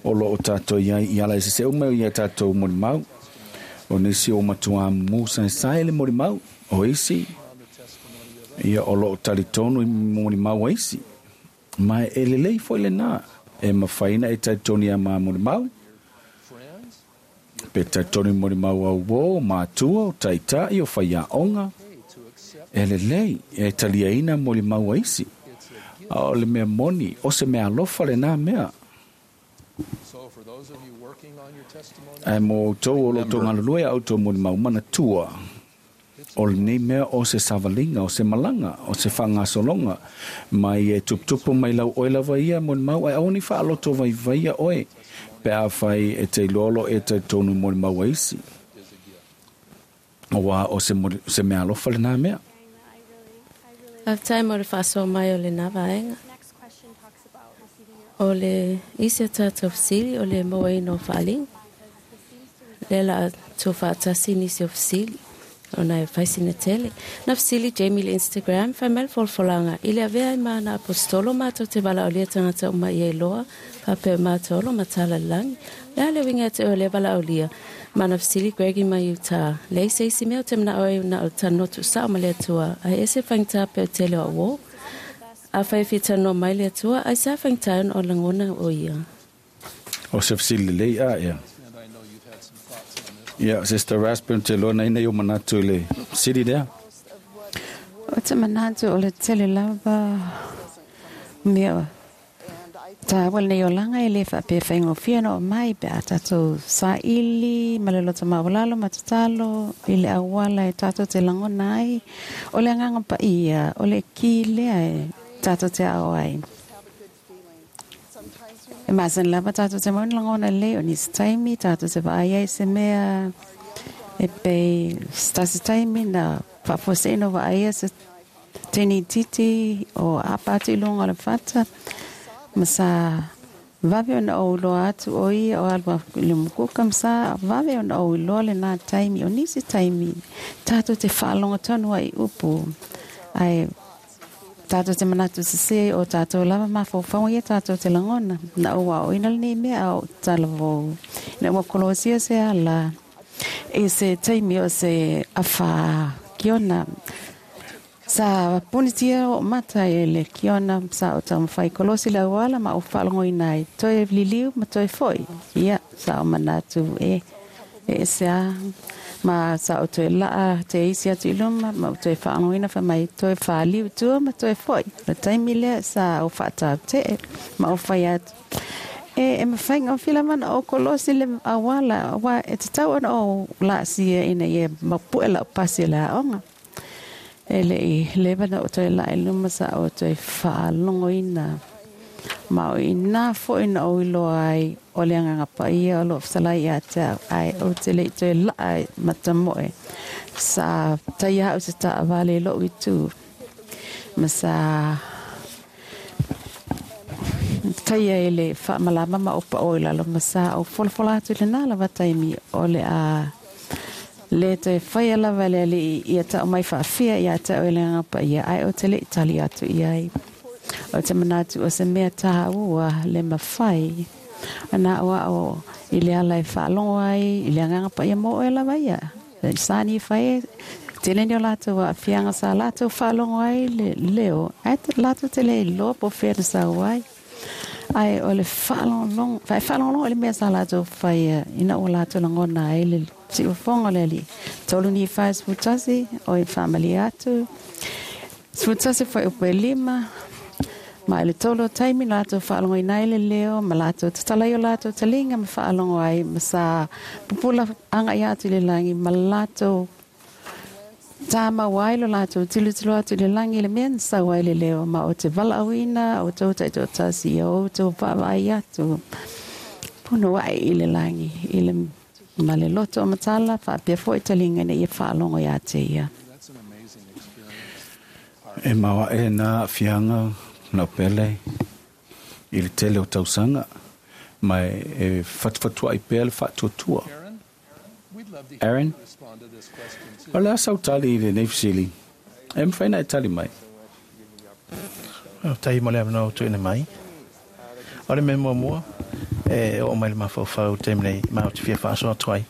o lo o tātou ia i ala e se umeo ia tātou molimau, o nisi o matua mū sai le molimau, o isi, ia o lo o tali tonu i molimau a isi. Mai e lelei foi le nā, e mawhaina e taitoni a mā molimau, pe taitoni molimau au wō, mātua, o taitai, o whaiaonga, e lelei, e taliaina molimau a isi. A o le mea moni, o se mea alofa le nā mea. Ai mō tō o lo tō ngalulue au tō molimau manatua. O le nei mea o se savalinga, o se malanga, o se whangasolonga. Mai e tuputupu mai lau oe lava ia molimau, ai aoni whaaloto vai vaia oe. Pe a whai e te lolo e te tonu molimau a isi. O wā o se mea alofa le nā mea. Faafetai mo le faasoa mai o lenā vaega. O le isi o tatou fesili o le mauaina o faaliga. Lea la a tuufaatasi nisi o fesili ona e faisina tele. Na fesili Jamie le Instagram, fai mai le folafolaga i le avea ai ma ana aposetolo matou te valaaulia tagata uma ia iloa faapea matou olo ma talalelagi. Le a le uiga e te oe o lea valaaulia. Ma na fesili Gregi mai Utah. Leai se isi mea o te manao ai na o le talanoa tuusao ma le Atua, ae ese faigata pe o tele o auō. Afai e fia talanoa mai le Atua, ai sa faigata ai ona o lagona o ia. O se fesili lelei a ea. Ia, Sister Raspin, te loa na ina i o manatu i le fesili lea. O te manatu o le tele lava mea tāua lenei olaga e lē faapea faigofie ona oo mai pe a tatou saili ma le loto maualalo ma tatalo i le auala e tatou te lagona ai o le agaga paia o le ki lea e tatou te ao ai. E masani lava tatou te maua ni lagona lelei o nisi taimi tatou te vaai ai se mea e pei se tasi taimi na faafuaseʻina o vaaia se teine itiiti o apa atu i luga o le fata ma sa vave ona ou iloa atu o ia o alu i le mukuka ma sa vave ona ou iloa lenā taimi o nisi taimi tatou te faalogo tonu ai i upu ae tatou te manatu sesē o tatou lava mafaufauga ia tatou te lagona na ou aoaoina lenei mea a ou talavou ina ua kolosia se ala i se taimi o se afa kiona sa punitia o mata e le kiona sa o taumafai kolosi le auala ma ou faalogoina ai toe liliu ma toe fo'i ia sa o manatu e e ese a ma sa o toe laa te isi atu i luma ma o toe faalogoina fai mai toe faliu i tua ma toe fo'i le taimi lea sa o faatautee ma o fai atu e e mafai gofie lava ona ou kolosi le auala auā e tatau ona ou laasia ina ia mapu'e la'u pasi o le aoga e le'i leva na ou toe laa i luma sa ou toe faalogoina ma o inā fo'i na ou iloa ai o le agaga paia o loo fetalai iā te au ae ou te le'i toe laa matamo'e Sa taia a'u se taavale i lo'u itu ma sa taia i le faamalama ma ou paʻo i lalo ma sa ou folafola atu i lenā lava taimi o le a lē toe faia lava e le Alii ia ta'u mai faafia iā te a'u e le Agaga Paia ae ou te le'i tali atu i ai. O te manatu o se mea tāua le mafai ona a'oa'o i le ala e faalogo ai i le Agaga Paia mo oe lava ia. Sa nifai e tele ni o latou aafiaga sa latou faalogo ai le leo ae latou te le iloa po o fea na sau ai. Ae o le faalogologo, e faalogologo i le mea sa latou faia ina ua latou lagona ai le siufofoga o le Alii. 3 Nifai 11, oi faamalie atu, 11 fuaiupu e 5, Ma i le tolu o taimi latou faalogoina ai le leo, ma latou tatala ai o latou taliga ma faalogo ai, ma sa pupula agai atu i le lagi, ma latou tāmau ai lo latou tilotilo atu i le lagi i le mea na sau ai le leo, ma o te valaauina outou taitoatasi ia outou vaavaai atu punouai i le lagi, i le ma le loto o matala, faapea foi taliga ina ia faalogo iā te ia. E maoaʻe lenā aafiaga laupele i le tele o tausaga, ma e fatufatuaʻi pea le faatuatua. Aaron, o le a sau tali i lenei fesili? E mafai ona e tali mai. Faafetai mo le avanoa ua tuuina mai. O le mea muamua, e oo mai le mafaufau i le taimi nei, ma ou te fia faasoa atu ai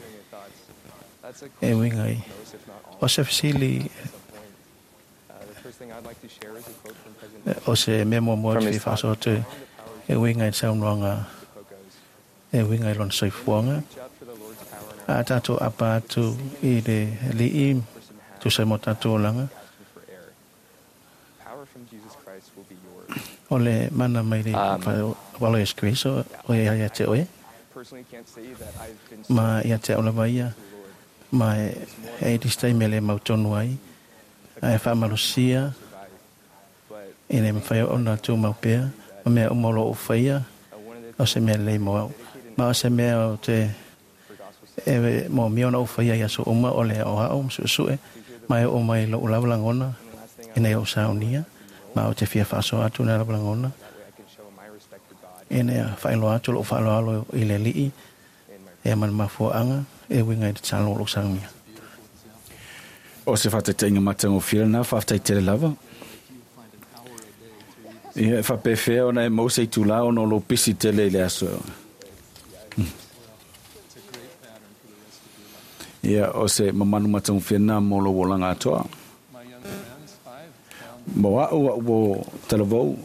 e uiga i o se fesili o se mea muamua ou te fia faasoa atu e uiga i le saunoaga e uiga i lona soifuaga. A tatou apa atu i le Alii tusa mo tatou olaga, o le mana mai le walo Iesu Keriso o ia ia te oe, ma ia te au lava ia, ma e i se taimi e le mautonu ai, ae faamalosia e le mafai ona tumau pea ma mea uma o lo o faia, o se mea lelei mo au. Ma o se mea o te e moomia ona ou faia i aso uma o le aʻoaʻo ma suʻesuʻe, ma e oo mai loʻu lava lagona ina ia ou saunia, ma ou te fia faasoa atu lena lava lagona, ina ia faailoa atu loʻu faaaloalo i le Alii ea ma le mafuaaga e uiga i le tatalo o lou saunia. O se faataitaiga matagofie lenā, faafetai tele lava. Ia, e faapefea ona e maua se itulā ona o lou pisi tele i le aso. Ia, o se mamanu matagofie lenā mo lou olaga atoa. Mo a'u, a'u ua talavou,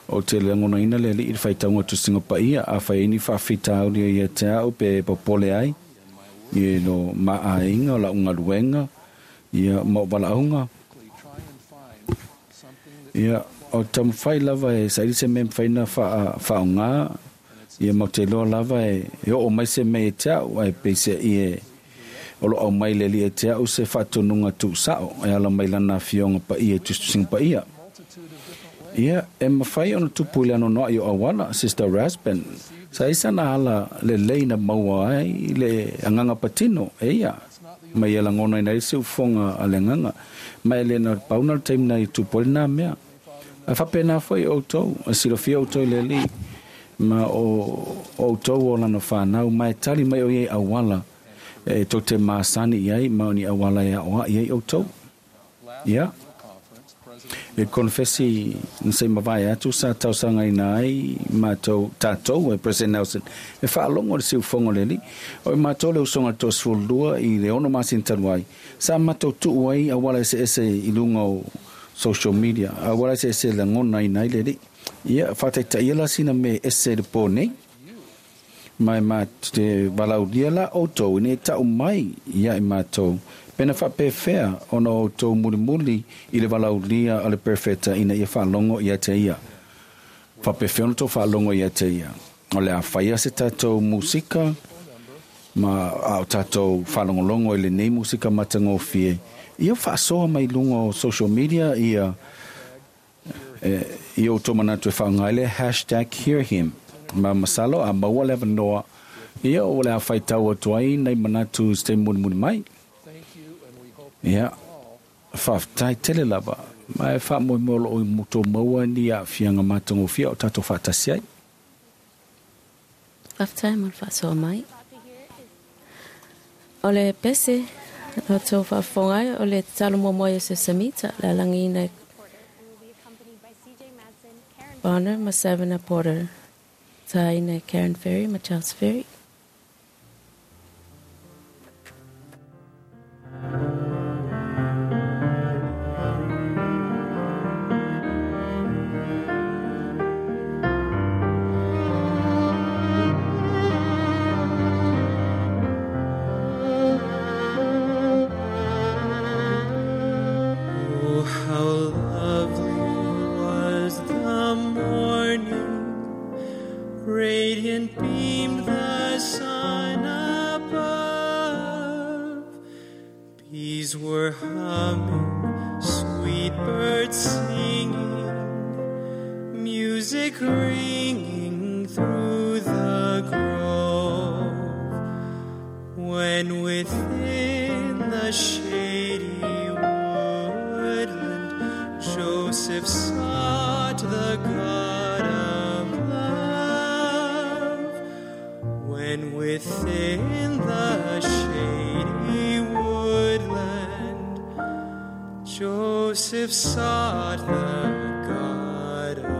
ou te lagonaina le Alii i le faitauga tusiga paia, afai ai ni faafitauli o ia te a'u pe popole ai, i lo ma aiga, o la'u galuega, ia, ma o'u valaauga. Ia, o te taumafai lava e saili se mea e mafai ona faaogā, ia ma ou te iloa lava e oo mai se mea ia te a'u, ae peiseai e o lo o aumai le Alii ia te a'u se faatonuga tuusa'o e ala mai Lana Afioga Paia i Tusitusiga Paia. Ia, e mafai ona tupu i le anoanoai o auala, Sister Rasband, sa i sana ala lelei na maua ai le agaga patino e ia, ma ia lagonaina ai le siufofoga a le agaga, ma e le na pau na le taimi na i tupu ai lenā mea. A faapena foi outou, e silafia outou i le Alii, ma o outou o Lana fanau, ma e tali mai o ia i auala e tou te masani i ai, ma o ni auala e aoaʻi ai ʻoutou. Ia. E konefesi na se i mavae atu sa talosagaina ai matou, tatou e President Nelson e faalogo i le siufofoga o le Alii. O i matou le usoga le 32 i le 6 masina talu ai, sa matou tuu ai auala eseese i luga o social media, auala eseese e lagonaina ai le Alii. Ia, faataitaia la sina mea ese i le po nei. Ma e ma te valaaulia la outou ina ia tau mai ia i matou, pena faapefea ona outou mulimuli i le valaaulia a le Perofeta ina ia faalogo ia te ia. Faapefea ona outou faalogo ia te ia? O le a faia se tatou musika, ma a o tatou faalogologo i lenei musika matagofie, ia faasoa mai luga o social media ia i outou manatu e faaaoga ai le hashtag HearHim. Ma masalo a maua le avanoa, ia o le a faitau atu ai nai manatu i se taimi mulimuli mai. Ia, faafetai tele lava. Ma e faamoemoe o loo i tou maua ni aafiaga matagofie o tatou faatasi ai. Faafetai mo le faasoa mai. O le pese o tou faafofoga ai o le tatalo muamua a Iosefo Samita le alagiina e Bonner ma Savannah Porter, taina e Karen Ferry ma Charles Ferry. Oh, how lovely was the morning, radiant beamed the sun above. Bees were humming, sweet birds singing, music ringing through the grove. When within the shady woodland Joseph sought the God of love. When within the shady woodland Joseph sought the God of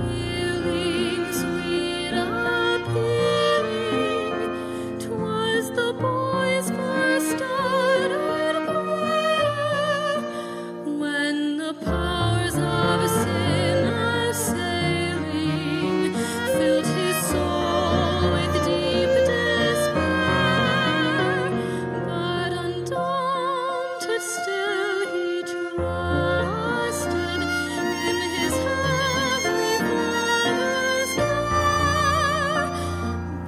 Kneeling, sweet appealing, 'twas the boy's first uttered prayer. When the powers of sin assailing filled his soul with deep despair, but undaunted still he trusted in his heavenly Father's care.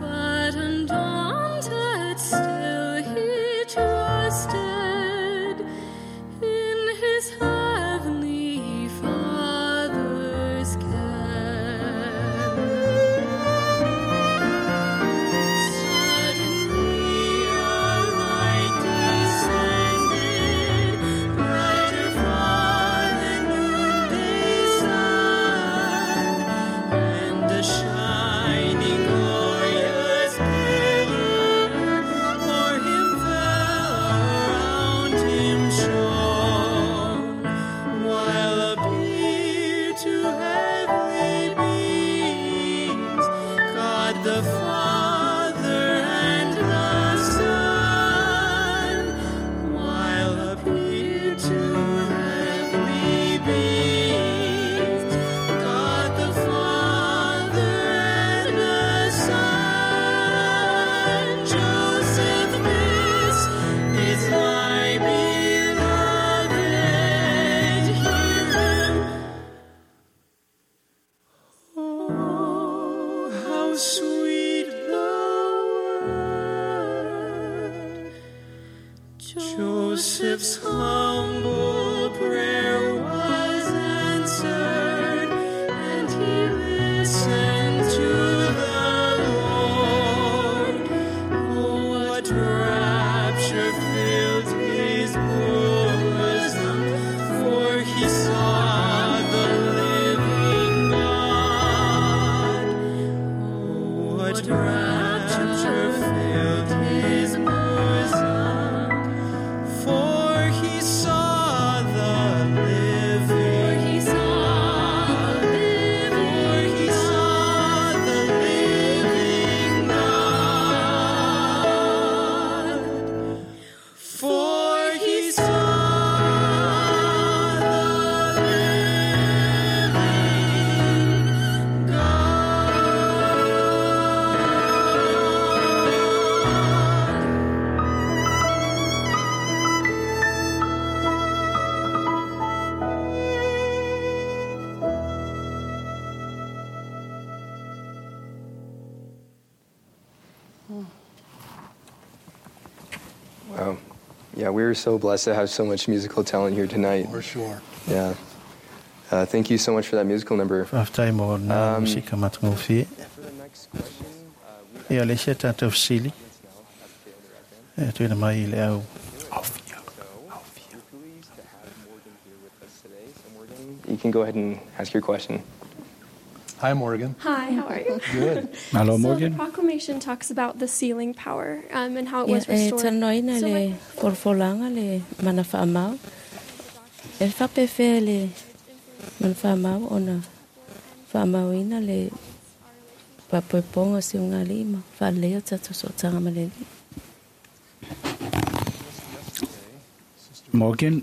But undaunted still he trusted in his heavenly Father's care. Suddenly a light descended, brighter far than noonday sun, and a shining glorious pillar o'er him fell, around him shone, while appeared to heavenly beings God the Father and the Son, while appeared to heavenly beings God the Father and the Son. Joseph, this is my beloved, hear him. Oh, how sweet the word. Joseph's humble prayer was answered, and he listened to the Lord. Oh, what rapture filled his bosom, for he saw the living God. Oh, what rapture filled his bosom, for he saw the living. He saw the living For he saw the living God. For he saw the living God. Wow. Yeah, we are so blessed to have so much musical talent here tonight. For sure. Yeah. Thank you so much for that musical number. Faafetai mo lena musika matagofie. Ia, o le isi a tatou fesili e tuuina mai i le au. You can go ahead and ask your question. Hi, Morgan. Hi, how are you? Good. Hello, So Morgan. the proclamation talks about the sealing power and how it Ia, was e restored. talanoaina So le my folafolaga le mana faamau. E faapefea le mana faamau ona faamauina le papoipoga o siugalii ma faaleleia o tatou sootaga ma le Alii. Morgan,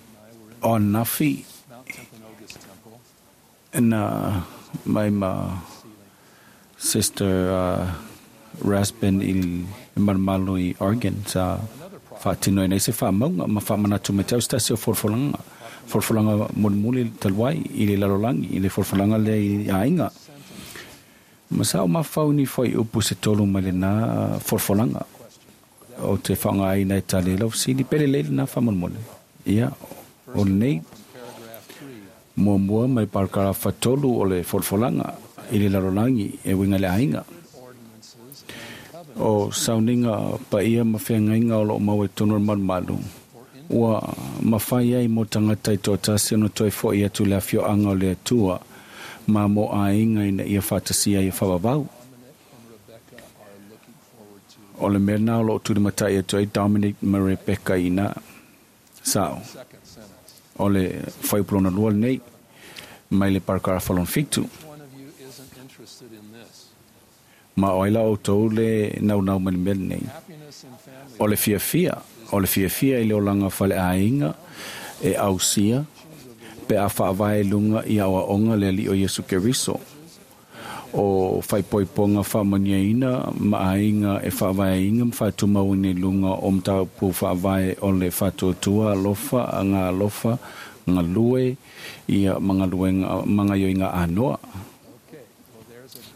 o nafi na mai ma Sister Raspin i le malumalu i Oregon sa faatinoina ai se faamauga ma faamanatu mai te au se tasi o folafolaga folafolaga mulimuli talu ai i le lalolagi i le folafolaga lea i aiga ma sa o mafau ni fuaiupu se tolu mai lenā folafolaga o te faaaogaina e tali ai lau fesili pe lelei lenā faamolemole. Ia, o lenei muamua mai parakarafa tolu o le folafolaga i le lalolagi e uiga i le aiga. O sauniga paia ma feagaiga o loo maua i totonu o le malumalu, ua mafai ai mo tagata i toatasi ona toe foʻi atu i le afioaga o le Atua ma mo aiga ina ia faatasia ai e faavavau. O le mea lena o loo tulimatai atu ai Dominic ma Rebecca ina sao. O le fuaiupu lona lua lenei mai le parakarafa lona fitu. Ma o ai la outou le naunau mai le mea lenei. O le fiafia, o le fiafia i le olaga faleaiga e ausia pe a faavae i luga i aoaoga le Alii o Iesu Keriso. O faaipoipoga faamanuiaina ma aiga e faavaeina ma faatumauina i luga o mataupu faavae o le faatuatua alofa, agaalofa, galue ia ma galuega ma gaioiga anoa.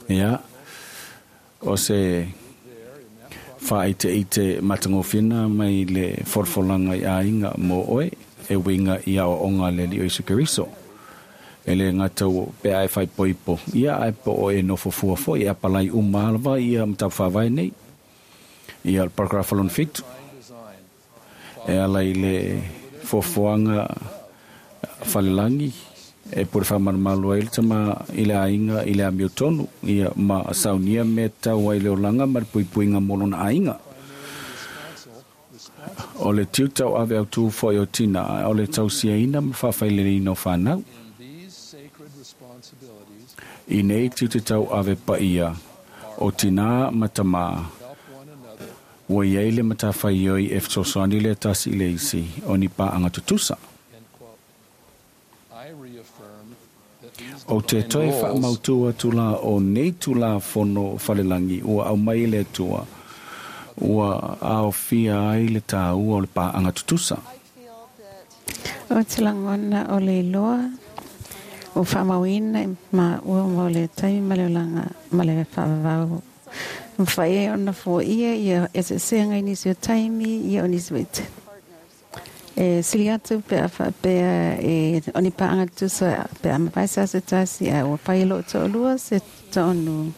Ia, o se faaiteite matagofie mai le folafolaga i aiga mo oe e uiga i aoaoga a le Alii o Iesu Keriso. E le gata ua pe a e faaipoipo, ia ae po o e nofo fua foi e apalai uma lava ia mataupu faavae nei. Ia, o le parakarafa lona fitu, e ala i le foafoaga falelagi e pule faamalumalu ai le tama i le aiga i le amiotonu, ia ma saunia mea tatau ai le olaga ma le puipuiga mo lona aiga. O le tiu tauave autū foi o tina, o le tausiaina ma faafaileleina o fanau. I nei tiute tauave paia o tinā ma tamā, ua i ai le matafaioi e fesoasoani le tasi i le isi o ni paaga tutusa. Ou te toe faamautū atu la o nei Tulafono Falelagi ua aumai e le Atua, ua aofia ai le tāua o le paaga tutusa. O te lagona o le iloa ua faamauina i maua mo le taimi ma le olaga ma le faavavau. Mafai ai ona foaia ia eseesega i nisi o taimi ia o nisi vaitaimi. E sili atu pe a faapea e o ni paaga tutusa pe a mafai se aso tasi ae ua fai e lou toalua se tonu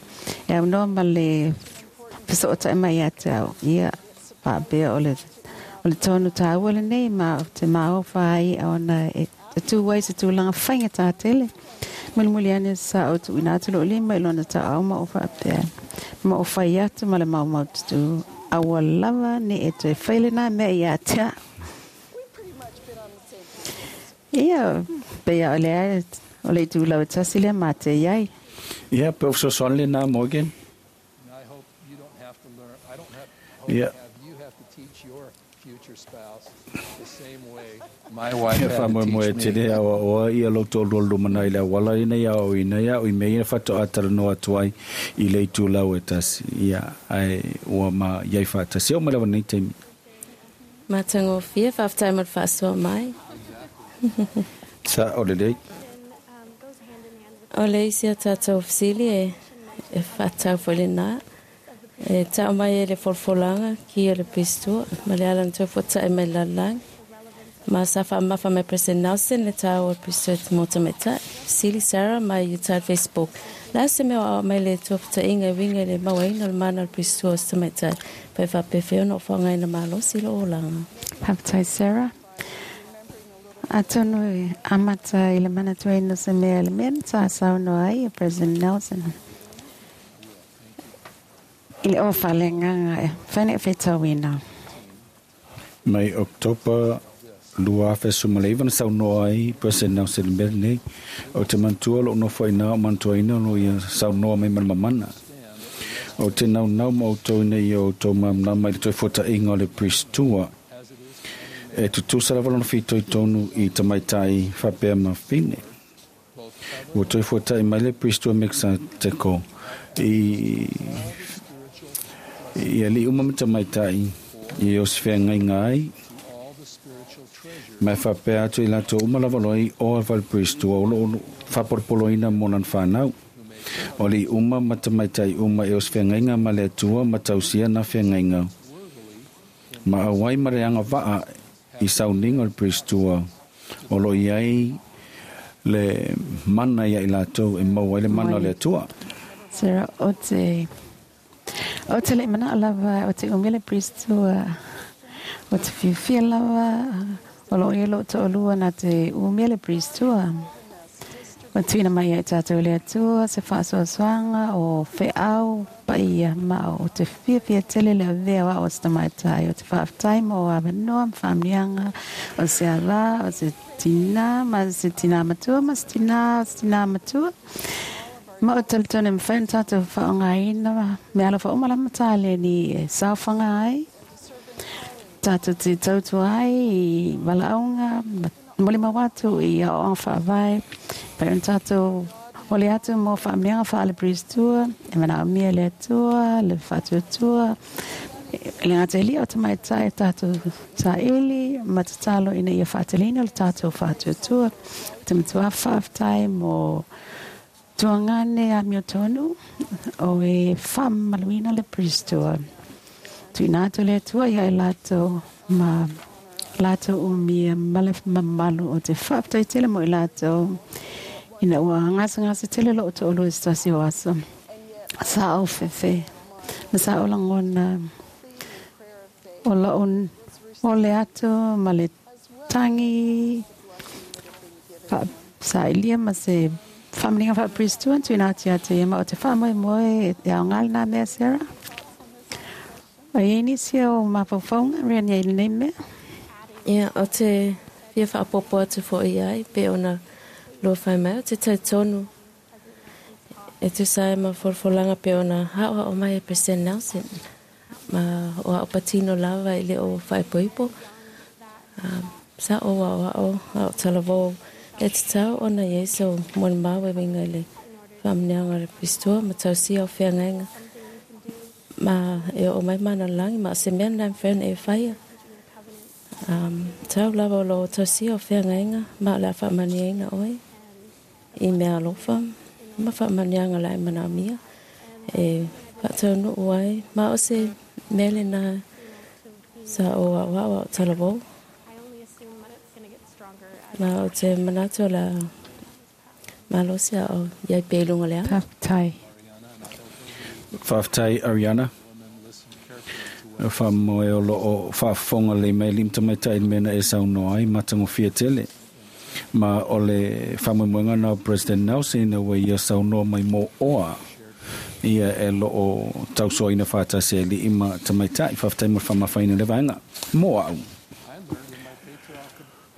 e aunoa ma le fesootai mai ia te au. Ia faapea o le o le tonu tāua lenei ma ou te maofa ai ona e tū ai se tulaga faigata tele. Mulimuli ane sa ou tuuina atu lou lima i lona taʻau ma ou faapea ma ou fai atu ma le maumaututu aua lava ne e toe fai lenā mea ia te au. Ia, pei a o le ae o le itulau e tasi lea ma te i ai. Ia, pe o fesoasoani lenā, Morgan. Ia. Ia faamoemoe tele aoaoa ia lou toalua lumanai i le auala ina ia aoaoina ia au i mea ia faatoa talanoa atu ai i le itulau e tasi. Ia, ae ua ma iai faatasi. Oo mai lava lenei taimi. Matagofie, faafetai mo le faasoa mai. Sa o lelei. O le isi a tatou fesili e e faatatau foi lenā. E tau mai e le folafolaga ki o le pistua ma le ala na toe fuataʻi mai le lalolagi. Ma sa faamamafa mai President Nelson le tāua o le Priesthood mo tamaitai. Fesili Sarah mai Utah Facebook. Le a se mea o aoao mai le Atua fetaʻiga e uiga i le mauaina o le mana o le Priesthood o se tamaitai pa e faapefea ona ou faaaogaina malosi i lou olaga? Faafetai Sarah. Atonu e amata i le manatuaina o se mea i le mea na sa saunoa ai e President Nelson i le ofa a le Agaga e mafai ona e faitauina. Mai October 2019 na saunoa ai President Nelson i le mea lenei, Ou te manatua lou nofo ai ina o manatuaina lo ia saunoa mai ma le mamana. Ou te naunau ma outou ina ia outou malamalama i le toefuataiga o le Priest-tua. E tutusa lava lona fitoitonu i tamaitai faapea ma fine. Ua toe fuatai mai le Priest-tua Mekisateko i i alii uma ma tamaitai i o se feagaiga ai, ma e faapea atu i latou uma lava loa i o a le Priest-tua o lo o faapolopoloina mo lana fanau. O alii uma ma tamaitai uma e o se feagaiga ma le Atua ma tausia na feagaiga. Ma auai ma le agavaa i sauniga o le Priest-tua o lo o i ai le mana ia i latou e maua ai le mana o le Atua. Sarah, o te, o te le manao lava o te umia le Priest-tua, o te fiafia lava o lo o i ai lou toalua na te umia le Priest-tua. Ua tuuina mai ia i tātou e le Atua se faasoasoaga o feau paia ma o te fiafia tele le avea o au o se tamaitai. O te faafetai mo avanoa ma faamanuiaga o se ala, o se tinā ma se tinā matua ma se tinā o se tinā matua. Ma o talitonu e mafai ona tātou faaaogaina mea alofa uma lava ma taleni e saofaga ai, tātou te tautua ai i valaauga ma molimau atu i aoaoga faavae, pai ona tātou ole atu mo faamanuiaga faale-Priest-tua, e manaomia e le Atua le faatuatua, e le gata i lia o tamaitai tātou saili ma tatalo ina ia faateleina le tātou faatuatua. O te matua faafetai mo tuagane amiotonu o e faamamaluina le Priest-tua. Tuuina atu le Atua ia i latou ma latou umia ma le mamalu o te faafetai tele mo i latou ina ua gasegase tele lou toalua i se tasi o aso. Sa ou fefe ma sa ou lagona o lou ole atu ma le tagi faasailia ma se faamanuiaga faa-Priest-tua na tuuina atu ia te ia ma o te faamoemoe e aoga lena mea Sarah. O i ai nisi o mafaufauga Reni i lenei mea? Ia, o te fia faaopoopo atu foi i ai, pei ona lua fai mai, o te talitonu e tusa ai ma folafolaga pei ona haohao mai e President Nelson, ma o a'u patino lava e le o faaipoipo, sa ou aoao a o talavou le tatau ona i ai sau molimau e uiga i le faamanuiaga o le Priest-tua ma tausia o feagaiga ma e oo mai mana o le lagi ma o se mea lena e mafai ona e faia. Tau lava o loo tausia o feagaiga ma o le a faamanuiaina oe i mea alofa ma faamanuiaga la e manaomia e faataunuu ai ma o se mea lena sa ou aoao a o talavou. Ma o te manatu o le a malosi a o iai pea i luga o le ala. Faafetai. Faafetai Ariana. Faamoe o lo o faafofoga lelei mai alii ma tamaitai i le mea na e saunoa ai, matagofie tele. Ma o le faamoemoega na o President Nelson ina ua ia saunoa mai mo oa ia e lo o tausoaina faatasi e alii ma tamaitai. Faafetai mo le faamafaina o lea vaega. Mo au.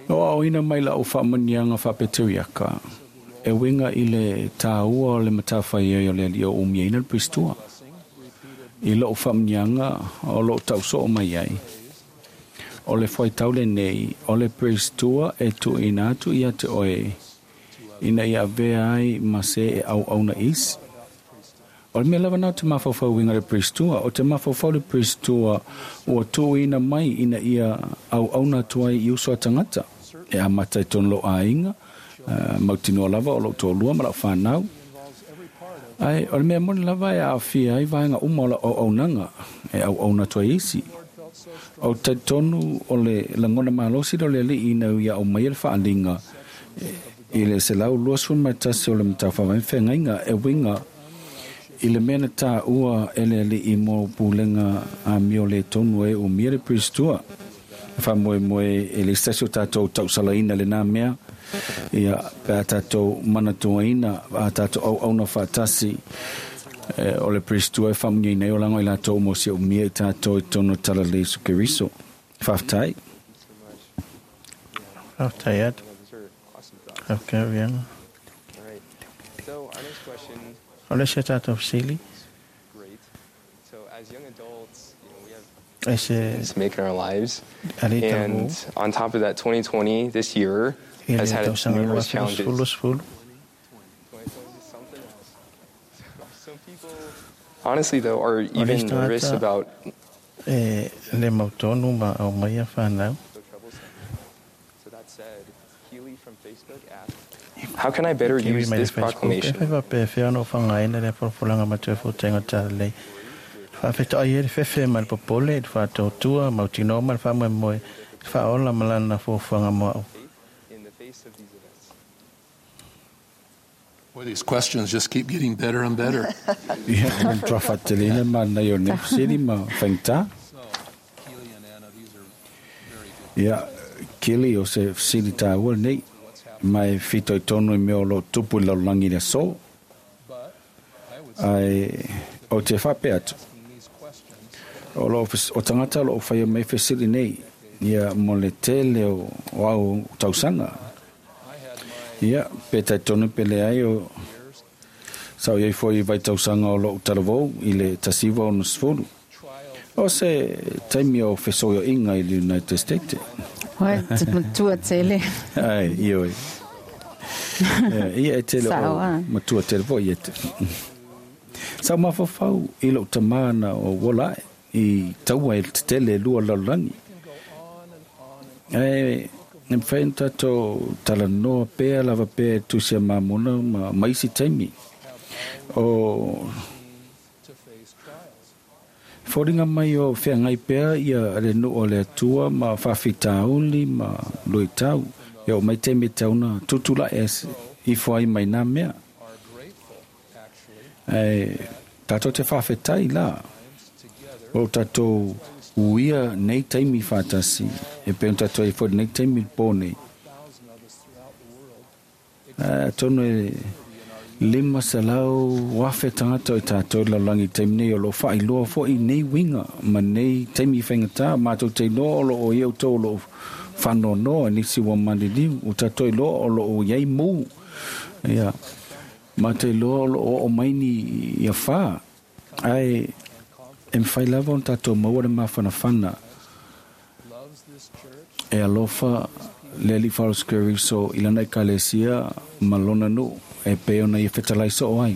O aoina mai la'u faamanuiaga faapeteriaka e uiga i le tāua o le matafaioi o le Alii o umiaina le Priest-tua. I lo'u faamanuiaga o lo'u ta'usoo mai ai, o le fuaitau lenei o le Priest-tua e tuuina atu ia te oe ina ia avea ai ma se e auauna isi. O le mea lava na o te mafaufau uiga le Priest-tua, o te mafaufau le Priest-tua ua tuuina mai ina ia auauna atu ai i uso a tagata, e amata i tonu lou aiga, mautinoa lava o lou toalua ma lau fanau. Ae o le mea moni lava e aafia ai vaega uma o lau auaunaga e auauna atu ai isi. O talitonu o le lagona malosi lea o le Alii ina ia aumaia le faaaliga i le 121 o le Mataufaavae Feagaiga e uiga i le mea na taua e le Alii mo pulega amio le tonu e umia le Pristua. Faamoemoe e le isi tasi o tatou tausalaina lenā mea, ia, pe a tatou manatuaina a tatou auauna faatasi, o le Pristua e faamuniaina ai olaga o i latou uma o si umia i tatou i totonu o le Talalelei Iesu Keriso. Faafetai. Faafetai atu. Okay, Rihanna. O le isi a tatou fesili. E se to make in our lives. alii And talavou on top of that, 2020, this year, i has le had tausaga numerous challenges. 2020. Honestly, though, are O le even isi nervous tagata about e le mautonu ma aumaia whanau. So that said, Healy from Facebook asked, how can I better Kiwi use mai le this Facebook. E proclamation? whai wapea whia no whangaina le porapolanga matua fōtenga o talalelei. Whaafetoai e le fefe ma le popole, le whaatautua, mautinoa ma le whaamoemoe, le whaola ma lana fuafuaga mo au. In the face of these events. Boy, these questions just keep getting better and better. Ia, o le matua faateleina ma nai o nei fesili ma faigata. Ia, Kelly o se fesili tāua lenei, ma e fitoitonu i mea o loo tupu i le lalolagi i le aso. Ae o te faapea atu, o loo o tagata o loo faia mai fesili nei, ia mo le tele o au tausaga. Ia, pe talitonu pe leai o sa o iai foi i vaitausaga o lou talavou i le 1960. O se taimi o fesoioiga i le United States. Oi, te matua tele. Ai, ioe. Ia e tele o Sao, ah. matua tele foi ia te. Sa mafaufau i lou tamā na o uola ae i taua e le tetele e lua lalolagi. Ae e mafai ona tatou talanoa pea lava pea e tusi a mamona ma isi taimi. O foliga mai o feagai pea ia le nuu o le Atua ma faafitauli ma luitau. E oo mai taimi e tatau ona tutulaʻe ifo ai mai nā mea. Ae tatou te faafetai la o tatou uia nei taimi faatasi e pei ona tatou ai foi lenei taimi i le pō nei. Atonu e 500,000 tagata o i tatou i le lalolagi i le taimi nei o loo faailoa foi nei uiga ma nei taimi i faigata matou te iloa o loo i ai outou o loo faanoanoa i nisi ua maliliu ua tatou iloa o loo iai mu. Ia, matou iloa o loo oo mai ni ia fā. Ae e mafai lava ona tatou maua le mafanafana e alofa le Alii Faalosi Keriso i lana ekalesia ma lona nuu e pei ona ia fetalai soo ai.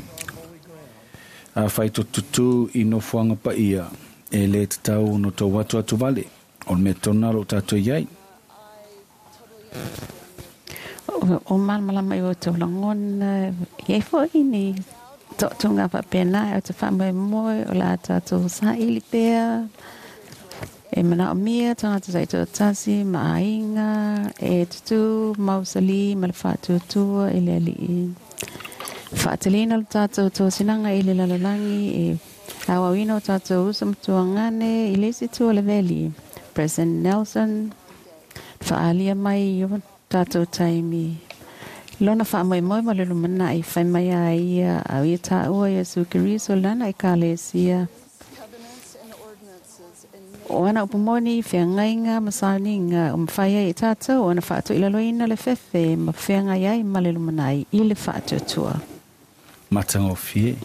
Afai totutū i nofoaga paia e lē tatau ona tou atu atu vale o le mea tonu lā o loo tatou iai. O malamalama i o outou lagona iai foʻi ni toʻatoga faapena e o te faamoemoe o le a tatou saʻili pea e manaʻomia tagata taitoatasi ma aiga e tutū mausalī ma le faatuatua i le Alii. Faateleina lo tatou tosinaga i le lalolagi e auauina o tatou uso ma tuagane i le isi itu o le veli. President Nelson faaalia mai i o tatou taimi. Lona faamoemoe ma le lumanai fai mai a ia au ia taua Iesu Keriso lana ekalesia. O ana upu moni, feagaiga ma sauniga o mafai ai e tatou ona faatoilaloina le fefe ma feagai ai ma le lumanai i le faatuatua. Matagofie.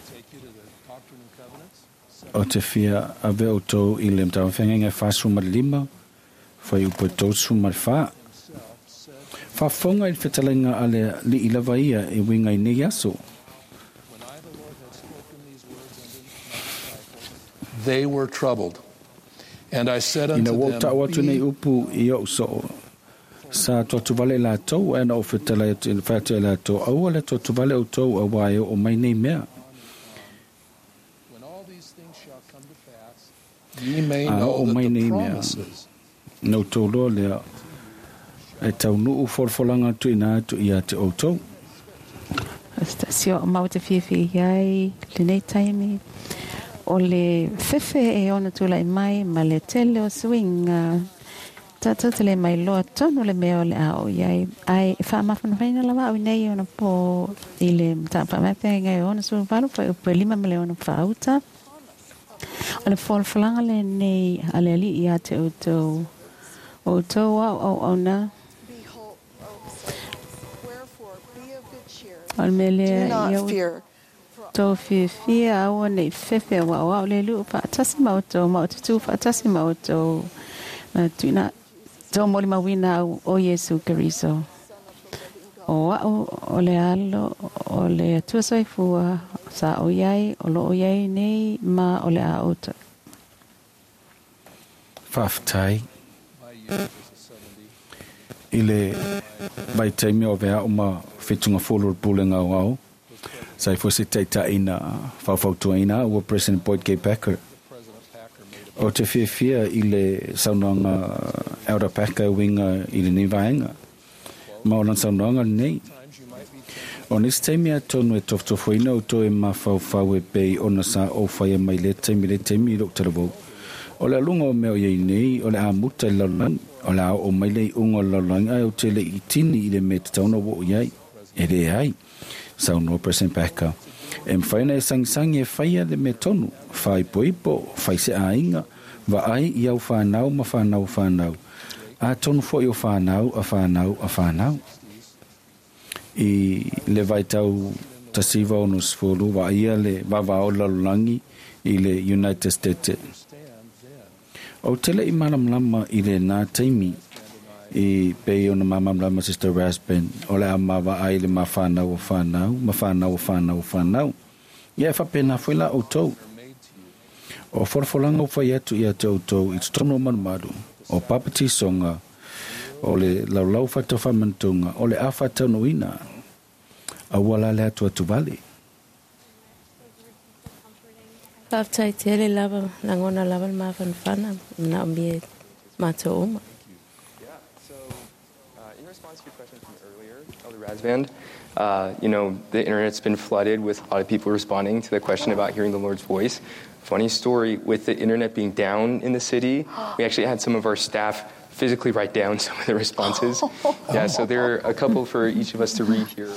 O te fia ave outou i le matagofeagaiga e 45, fuaiupu e 34. Faafofoga i le fetalaiga a le Alii lava ia e uiga i nei aso. They were troubled. And I said Ina unto ua ou them, taʻu atu nei Be upu i oʻu soo sa toatuvale i latou, ae na ou fetalai atu i le fai atu ia latou, aua le toatuvale outou auā e oo mai nei mea. ye may A know oo that mai the nei nei mea, na outou loa lea e taunuu folafolaga tuuina atu ia te outou. O se tasi o mau te fiafia i ai lenei taimi, o le fefe e ono tulai mai ma le tele o suiga, tatou te le mailoa tonu le mea o le a oo i ai. Ae e faamafanafanaina lava au i nei ona po i le mataupu faamaepaega e 68 fuaiupu e 5 ma le 64 uta. O le folafolaga lenei a le Alii ia te outou, o outou ao auauna. O le mea lea, ia outou fiafia, aua ne i fefe, aua o au le Alii o faatasi ma outou, ma ou te tu faatasi ma outou, ma tuuina tou molimauina au o Iesu Keriso. O au o le Alo o le Atua Soifua, sa o i ai, o lo o i ai nei, ma o le a outou. Faafetai. I le vaitaimi o avea au ma Fetuga-folo o le Pulega Aoao, sa i foi se taitai na faufautuaina au ua President Boyd K. Packer. Ou te fiafia i le saunoaga Elder Packer e uiga i lenei vaega. Ma o lana saunoaga lenei. O nisi taimi atonu e tofotofoina outou e mafaufau e pei ona sa ou faia mai lea taimi lea taimi i lou talavou. O le aluga o mea o i ai nei, o le a muta i le lalolagi, o le a oo mai le iuga o le lalolagi ae ou te le i tini i le mea e tatau ona ou oo i ai. E leai. Saunoa President Packer, E mafai ona e sagisagi e faia le mea tonu, faaipoipo, fai se aiga, vaai i au whanau ma whanau whanau, atonu foi o whanau a whanau a whanau. I le vaitau 1960, vaaia le vavao o le lalolagi i le United States. Ou te le i malamalama i lenā taimi i pei ona malamalama Sister Rasband, o le a ma vaai i le ma whanau o whanau, ma whanau o whanau o whanau. Ia e faapena foi la outou. O folafolaga ua fai atu ia te outou i totonu o malumalu, o papatisoga, o le laulau faataufaamanatunga, o le a faataunuuina, aua la le atuatu vale. Faafetai tele lava, lagona lava le mafanafana, manaomia e matou uma. Yeah, so in response to your question from earlier, Elder Rasband, the internet's been flooded with a lot of people responding to the question about hearing the Lord's voice. Funny story, with the internet being down in the city, we actually had some of our staff physically write down some of the responses. Yeah, so there are a couple for each of us to read here.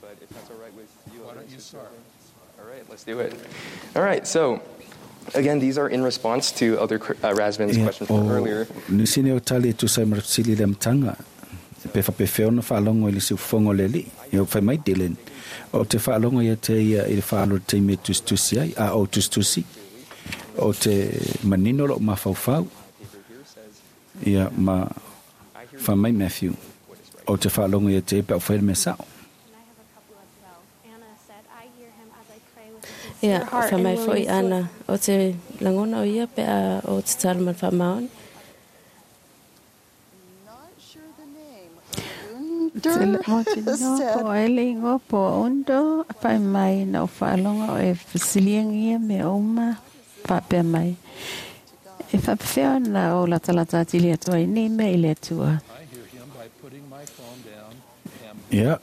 But if that's all right with you, Why don't you start? All right, let's do it. All right, so again, these are in response to Elder Rasband's Ia, question from o earlier. nisi nei o tali e tusa ai ma le fesili i le amataga, pe faapefea ona faalogo i le siufofoga o le Alii. Ia, fai mai Dylan, Ou te faalogo ia te ia i le faalo i le taimi e tusitusi ai, a ou tusitusi, ou te manino lou mafaufau. Ia, ma fai mai Matthew, Ou te faalogo ia te ia pe a ou faia le mea sao. Ia, fai mai foi Ana, Ou te lagona o ia pe a ou tatalo ma le faamaoni. Tele mautinoa po o ai le igoa po o Undo, fai mai na ou faalogo o e fesiligia mea uma, faapea mai, E faapefea ona ou latalata atili atu ai nei mea i le Atua? Ia,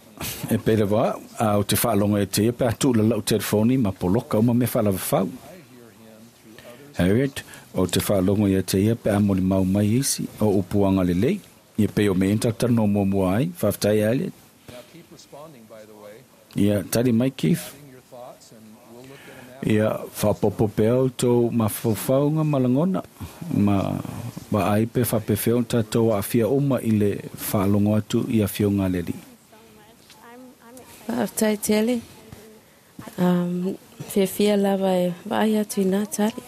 e pei lava au, a ou te faalogo ia te ia pe a tuula lau telefoni ma poloka uma mea faalavafau. Harriet, ou te faalogo ia te ia pe a molimau mai isi o upu agalelei. Ia pei o mea ia na tatou talanoa muamua ai. Faafetai Elliot. Ia, tali mai Keith. Ia, faaopoopo pea outou mafaufauga ma lagona, ma vaai pe faapefea ona tatou aafia uma i le faalogo atu i Afioga a le Alii. Faafetai tele. Fiafia lava e vaai atu i nā tali.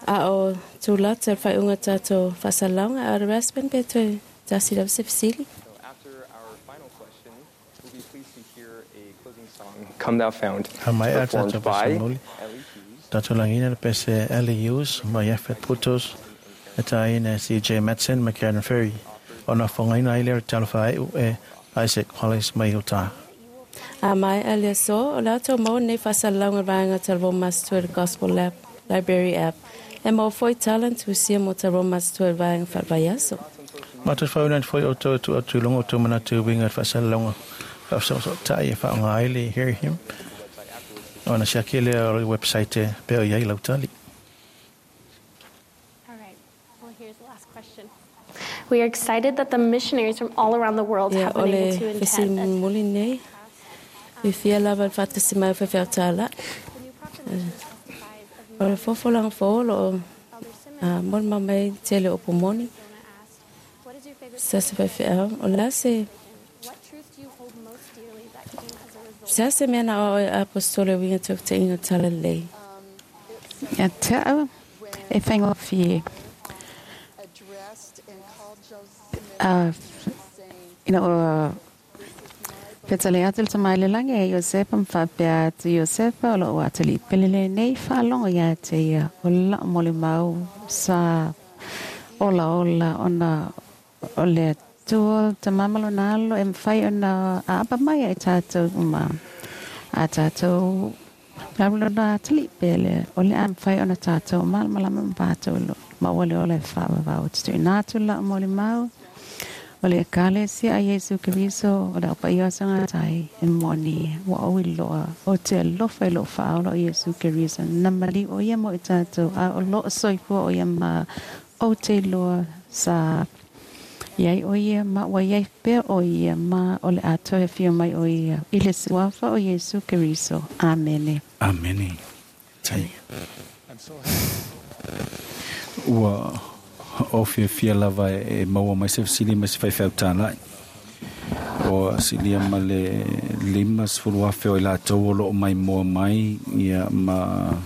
A o tūlata le faaiuga o tatou faasalalauga, Elder Rasband, pe toe tasi lava se fesili. So after our final question, we'll be pleased to hear a closing song, Come Thou Fount, A maea performed tatou by pasamuli, Ellie Hughes. tatou lagina le pese Ellie Hughes ma Yafet Putos, e tāina e CJ Matson ma Karen Ferry, ona whangaina ai lea o le talo whae'u e Isaac Hollis mai Utah. A maea le aso, o le a outou maua lenei faasalalauga i le vaega Talavou Master Gospel Lab, Library App. E maua foi tala na tusia mo ta Roma Aso 2 i le vaega faale-vaiaso. Matou te faauuina atu foi outou e tuu atu i luga o outou manatu e uiga i le faasalalauga faafesoosootai e faaaoga ai le Hear Him ona siaki lea o le website pea o i ai lau tali. All right. Well, here's the last question. We are excited that the missionaries from all around the world Ia, have o been le able to fesili attend. mulimuli lenei, fiafia lava i le faatasi mai o faifeau tālai. O le fofolaga fou o lo o molimau mai le tele o upu moni. Se se faifeau, o le a se Se a se mea na aoao e Aposetolo e uiga i tofutaiga o Talalelei? Ia te au, e faigofie. Ina ua fetale atu le tama i le lagi e Iosepa ma faapea atu, Iosepa, o lou atalii pele lenei, faalogo ia te ia, o lau molimau sa olaola ona o le Atua le Tama ma Lona Alo e mafai ona aapa mai ai tatou uma a tatou lona atalii pele, o le a mafai ona tatou malamalama ma tatou maua le ola e faavavau. Ou te tuuina atu lau molimau, o le Ekalesia a Iesu Keriso, o le Au Paia o Sagatai, e moni, ua ou iloa, ou te alofa i lou faaola o Iesu Keriso, na maliu o ia mo i tatou, a o loo soifua o ia ma ou te iloa sa iai o ia ma ua iai pea o ia ma o le a toe afio mai o ia i le suafa o Iesu Keriso. Amene. Amene. Tai. Ua o fiafia lava e maua mai se fesili ma se faifeau tālai. O silia ma le 50,000 o i latou o loo maimoa mai ia ma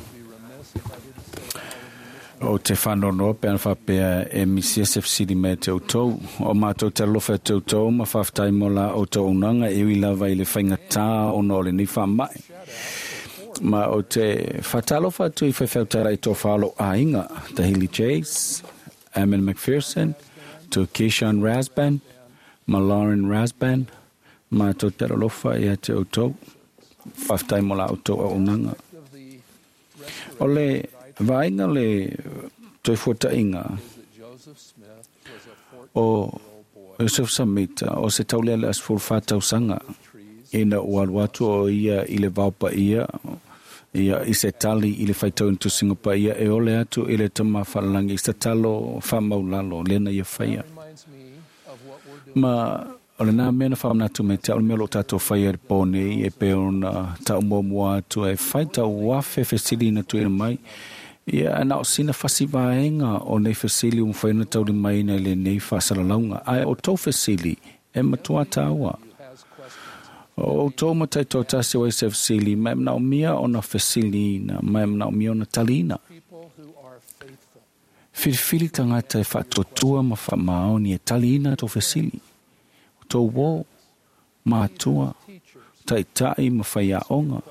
O te faanoanoa pe ana faapea e misia se fesili mai ia te outou. O matou te alofa ia te outou ma faafetai mo la outou auaunaga e ui lava i le faigata ona o lenei faamai. Ma ou te faatalofa atu i faifeau talai tofa o lou aiga, Tahili Chase, Ammon McPherson, to Keyshawn Rasban ma Lauren Rasban, matou te alofa ia te outou. Faafetai mo la outou auaunaga. O le vaaiga le toefuataiga o Joseph Samita o se taulealea 14 tausaga ina ua alu atu o ia i le vao paia ia i se tali i le faitauina tusiga paia e ole atu i le Tama Fa'alagi i se tatalo fa'amaulalo lena ia faia. Ma o lena mea na faamanatu mai te au, le mea o loo tatou faia i le po nei, e pei ona tau muamua atu e fai tau afe fesili na tuuina mai. Ia, na o sina fasi vaega o nei fesili ua mafai ona taulimaina i lenei faasalalauga. Ae o tou fesili e matua taua. O outou matai toatasi o ai se fesili, ma e manaomia ona fesiliina, ma e manaomia ona taliina. Filifili tagata e faatuatua ma faamaoni e taliina tou fesili, o tou uō, matua, taitai ma faiaoga.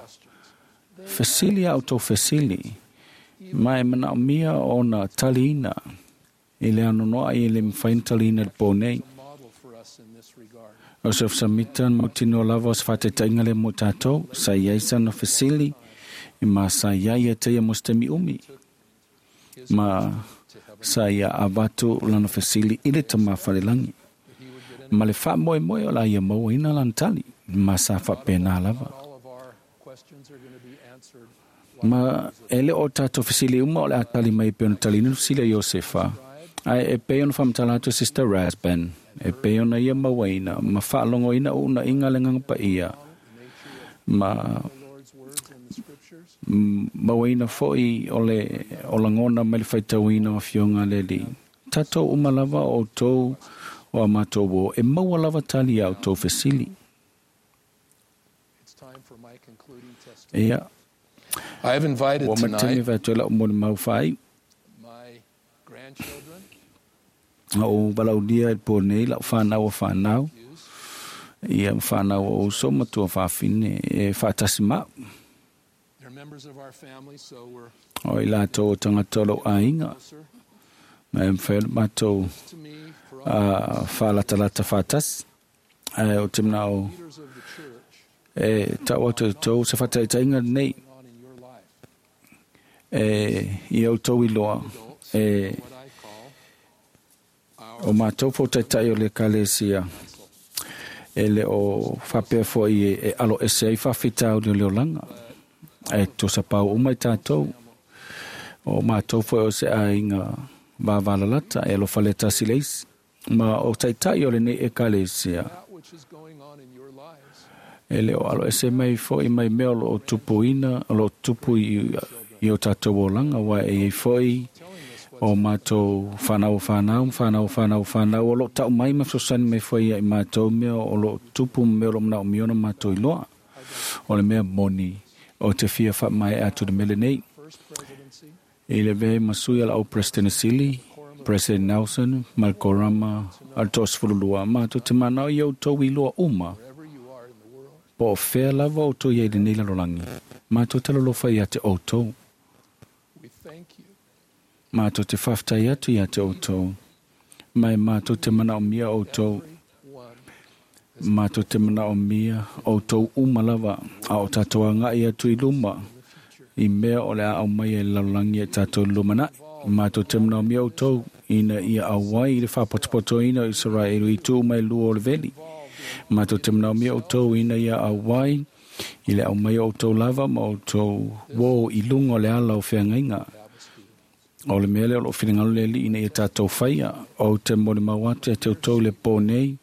Fesili a outou fesili, ma e manaomia ona taliina i le anoanoai e le mafai ona taliina i le pō nei. O Joseph Samita na mautinoa lava o se faataitaiga lea mo tatou, sa i ai sana fesili, ma sa i ai ia te ia mo se taimi umi. Ma sa ia avatu lana fesili i le Tama Falelagi. Ma le faamoemoe o la ia mauaina lana tali, ma sa faapena lava. Ma e le o tatou fesili uma o le a tali mai e pei ona taliina le fesili a Iosefa, ae e pei ona faamatala atu e Sister Rasband, e pei ona ia mauaina ma faalogoina uunaiga a le Agaga Paia, ma mauaina foi o le o lagona mai le faitauina o Afioga a le Alii. Tatou uma lava o outou o a matou uo, e maua lava tali ia outou fesili. Ia, ua ma tele vai atu ai lau molimau faaiu. Na ou valaulia i le po nei lau whanau o whanau, ia ma whanau o uso ma tua whawhine e whaatasi mau. O i latou o tangata o lou aiga, ma e mawhai o le matou whaalatalata whaatasi. Ae o te manao e tau atu i tou se whataitaiga nei. E ia outou iloa e o matou fo'otaitai o le ekalesia e le o faapea fo'i e alo ese ai faafitauli o le olaga ae tosa pau uma i tatou o matou fo'i o se aiga vavalalata e alofa le tasi le isi ma o taitai o lenei ekalesia e le o alo ese mai fo'i mai mea o loo tupuina o loo tupu i o tatou olaga ua e iai fo'i o matou fanau fanau fanau fanau fanau o loo ta'u mai ma fesoasoani mai foi ia i matou mea o loo tupu ma mea o loo manaomia ona matou iloa. O le mea moni o te fia faamaea atu le mea lenei. I le avea ai ma sui a la'au Peresetene Sili, President Nelson ma le Korama a le 12, matou te manao ia outou iloa uma po o fea lava outou i ai i lenei lalolagi, matou te alolofa ia te outou. Matou te faafetai atu ia te outou, ma e matou te manaomia outou. Matou te manaomia outou uma lava, a o tatou agai atu i luma i mea o le a aumai e le lalolagi e tatou i le lumanai. Matou te manaomia outou ina ia auai i le faapotopotoina o Isaraelu i itu uma e lua o le veli. Matou te manaomia outou ina ia auai i le aumai o outou lava ma outou uō i luga o le ala o feagaiga. O le mea lea o loo finagalo le Alii ina ia tatou faia. Ou te molimau atu ia te outou i le pō nei,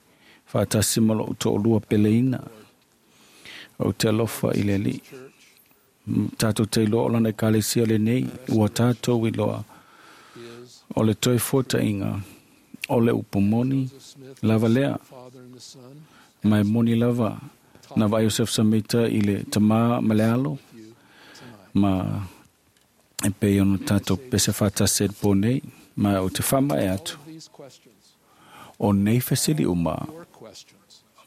faatasi ma lou toalua peleina. Ou te alofa i le Alii. Tatou te iloa o lana ekalesia lenei, ua tatou iloa o le toe fuataiga o le upu moni lava lea. Ma e moni lava na vaai o Joseph Samita i le tamā ma le alo, ma e pei ona tatou pese faatasi ai i le pō nei, ma ou te faamaea atu. O nei fesili uma,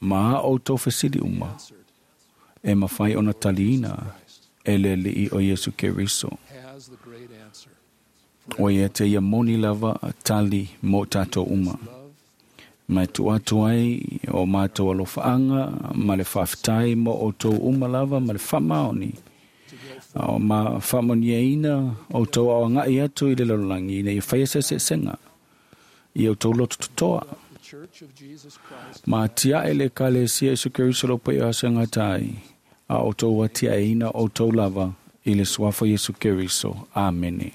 ma a outou fesili uma, e mafai ona taliina e le Alii o Iesu Keriso. O ia te ia moni lava tali mo tatou uma. Ma e tuu atu ai o matou alofaaga ma le faafetai mo outou uma lava ma le faamaoni. O ma faamanuiaina outou ao agai atu i le lalolagi ina ia faia se eseesega i outou loto totoa. Ma atiae le Ekalesia Iesu Keriso lo paia o aso e gata ai, a outou atiaeina outou lava i le suafa o Iesu Keriso. Amene.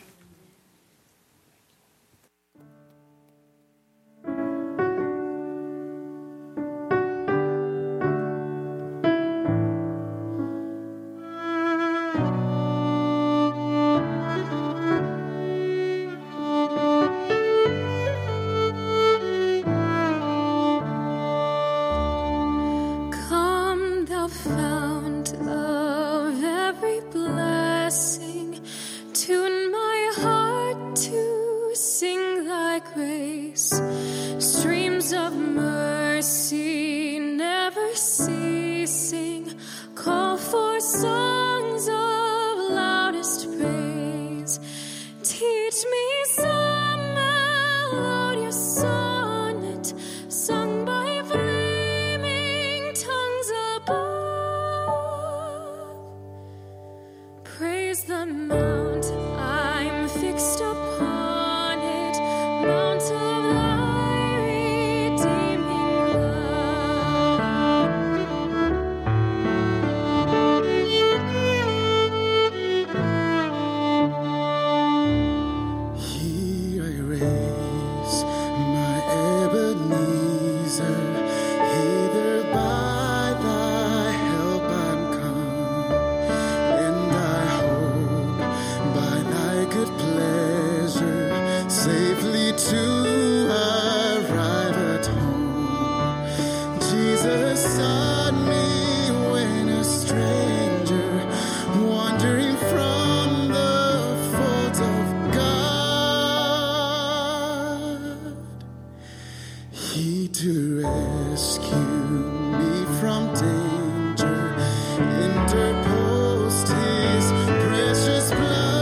Come, thou fount of every blessing, tune my heart to sing thy grace. Streams of mercy never ceasing, call for songs of loudest praise. Teach me some melodious sonnet sung by flaming tongues above. Praise the mount I'm fixed upon it, mount of thy redeeming love. Here I raise my Ebenezer, hither by thy help I'm come, and I hope by thy good pleasure safely to arrive at home. Jesus sought me when a stranger, wandering from the folds of God. He to rescue me from danger interposed his precious blood.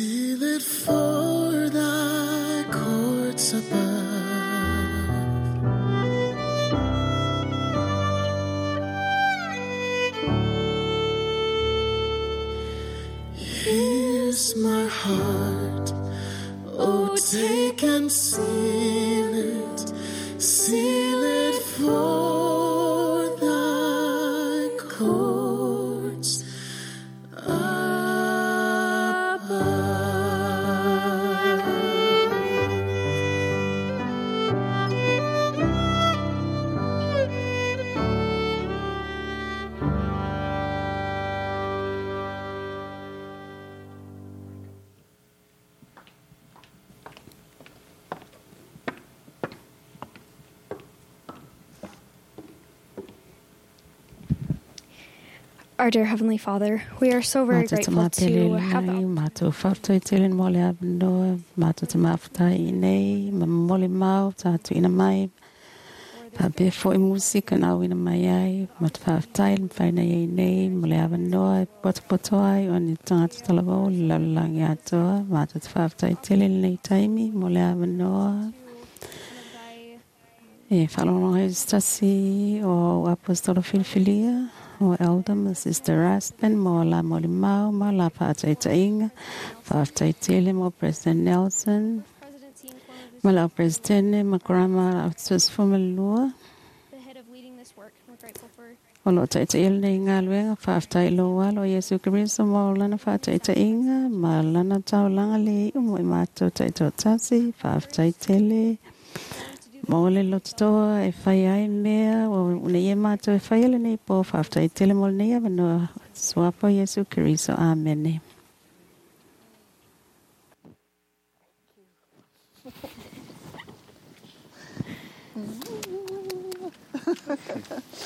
Seal it for thy courts above. Here's my heart, oh, take and seal it for thy courts above. Our dear Heavenly Father, we are so very Matou te grateful mapele to have the nei, matou whātoi tele mo le avanoa, matou te maftai i nei, ma mole mau, tātu ina mai, whapea fo i musika na ina mai ai, ma te whāftai le mwhaina i nei, mo le avanoa, e poto ai, o ni tangata talavau, le laulalangi atoa, matou te whāftai tele nei taimi, mo le avanoa. E whalongo hei stasi o Apostolo Filifilia, o Elder ma Sister Raspen, mo la moli mau, ma la whaataitainga, whaaftai tele mo President Nelson, ma la President ma Grandma Tusfumalua, the head of leading this work. We're grateful for o lo taitaila nei ngā luenga, whaaftai lo walo Yesu Kristo mo lana whaataitainga, ma lana taulanga le i mo i mātou taitautasi, whaaftai tele, Mo le lototoa e whai ai mea, o nei e mātou e whai ele nei po, whaftai tele mo nei awanoa, suapo Yesu Kristo, amene.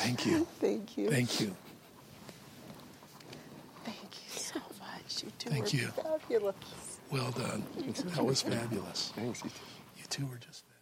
Thank you. Thank you. Thank you. Thank you so much. You two Thank were you. fabulous. Well done. That was fabulous. Thanks, you two. You two were just fabulous.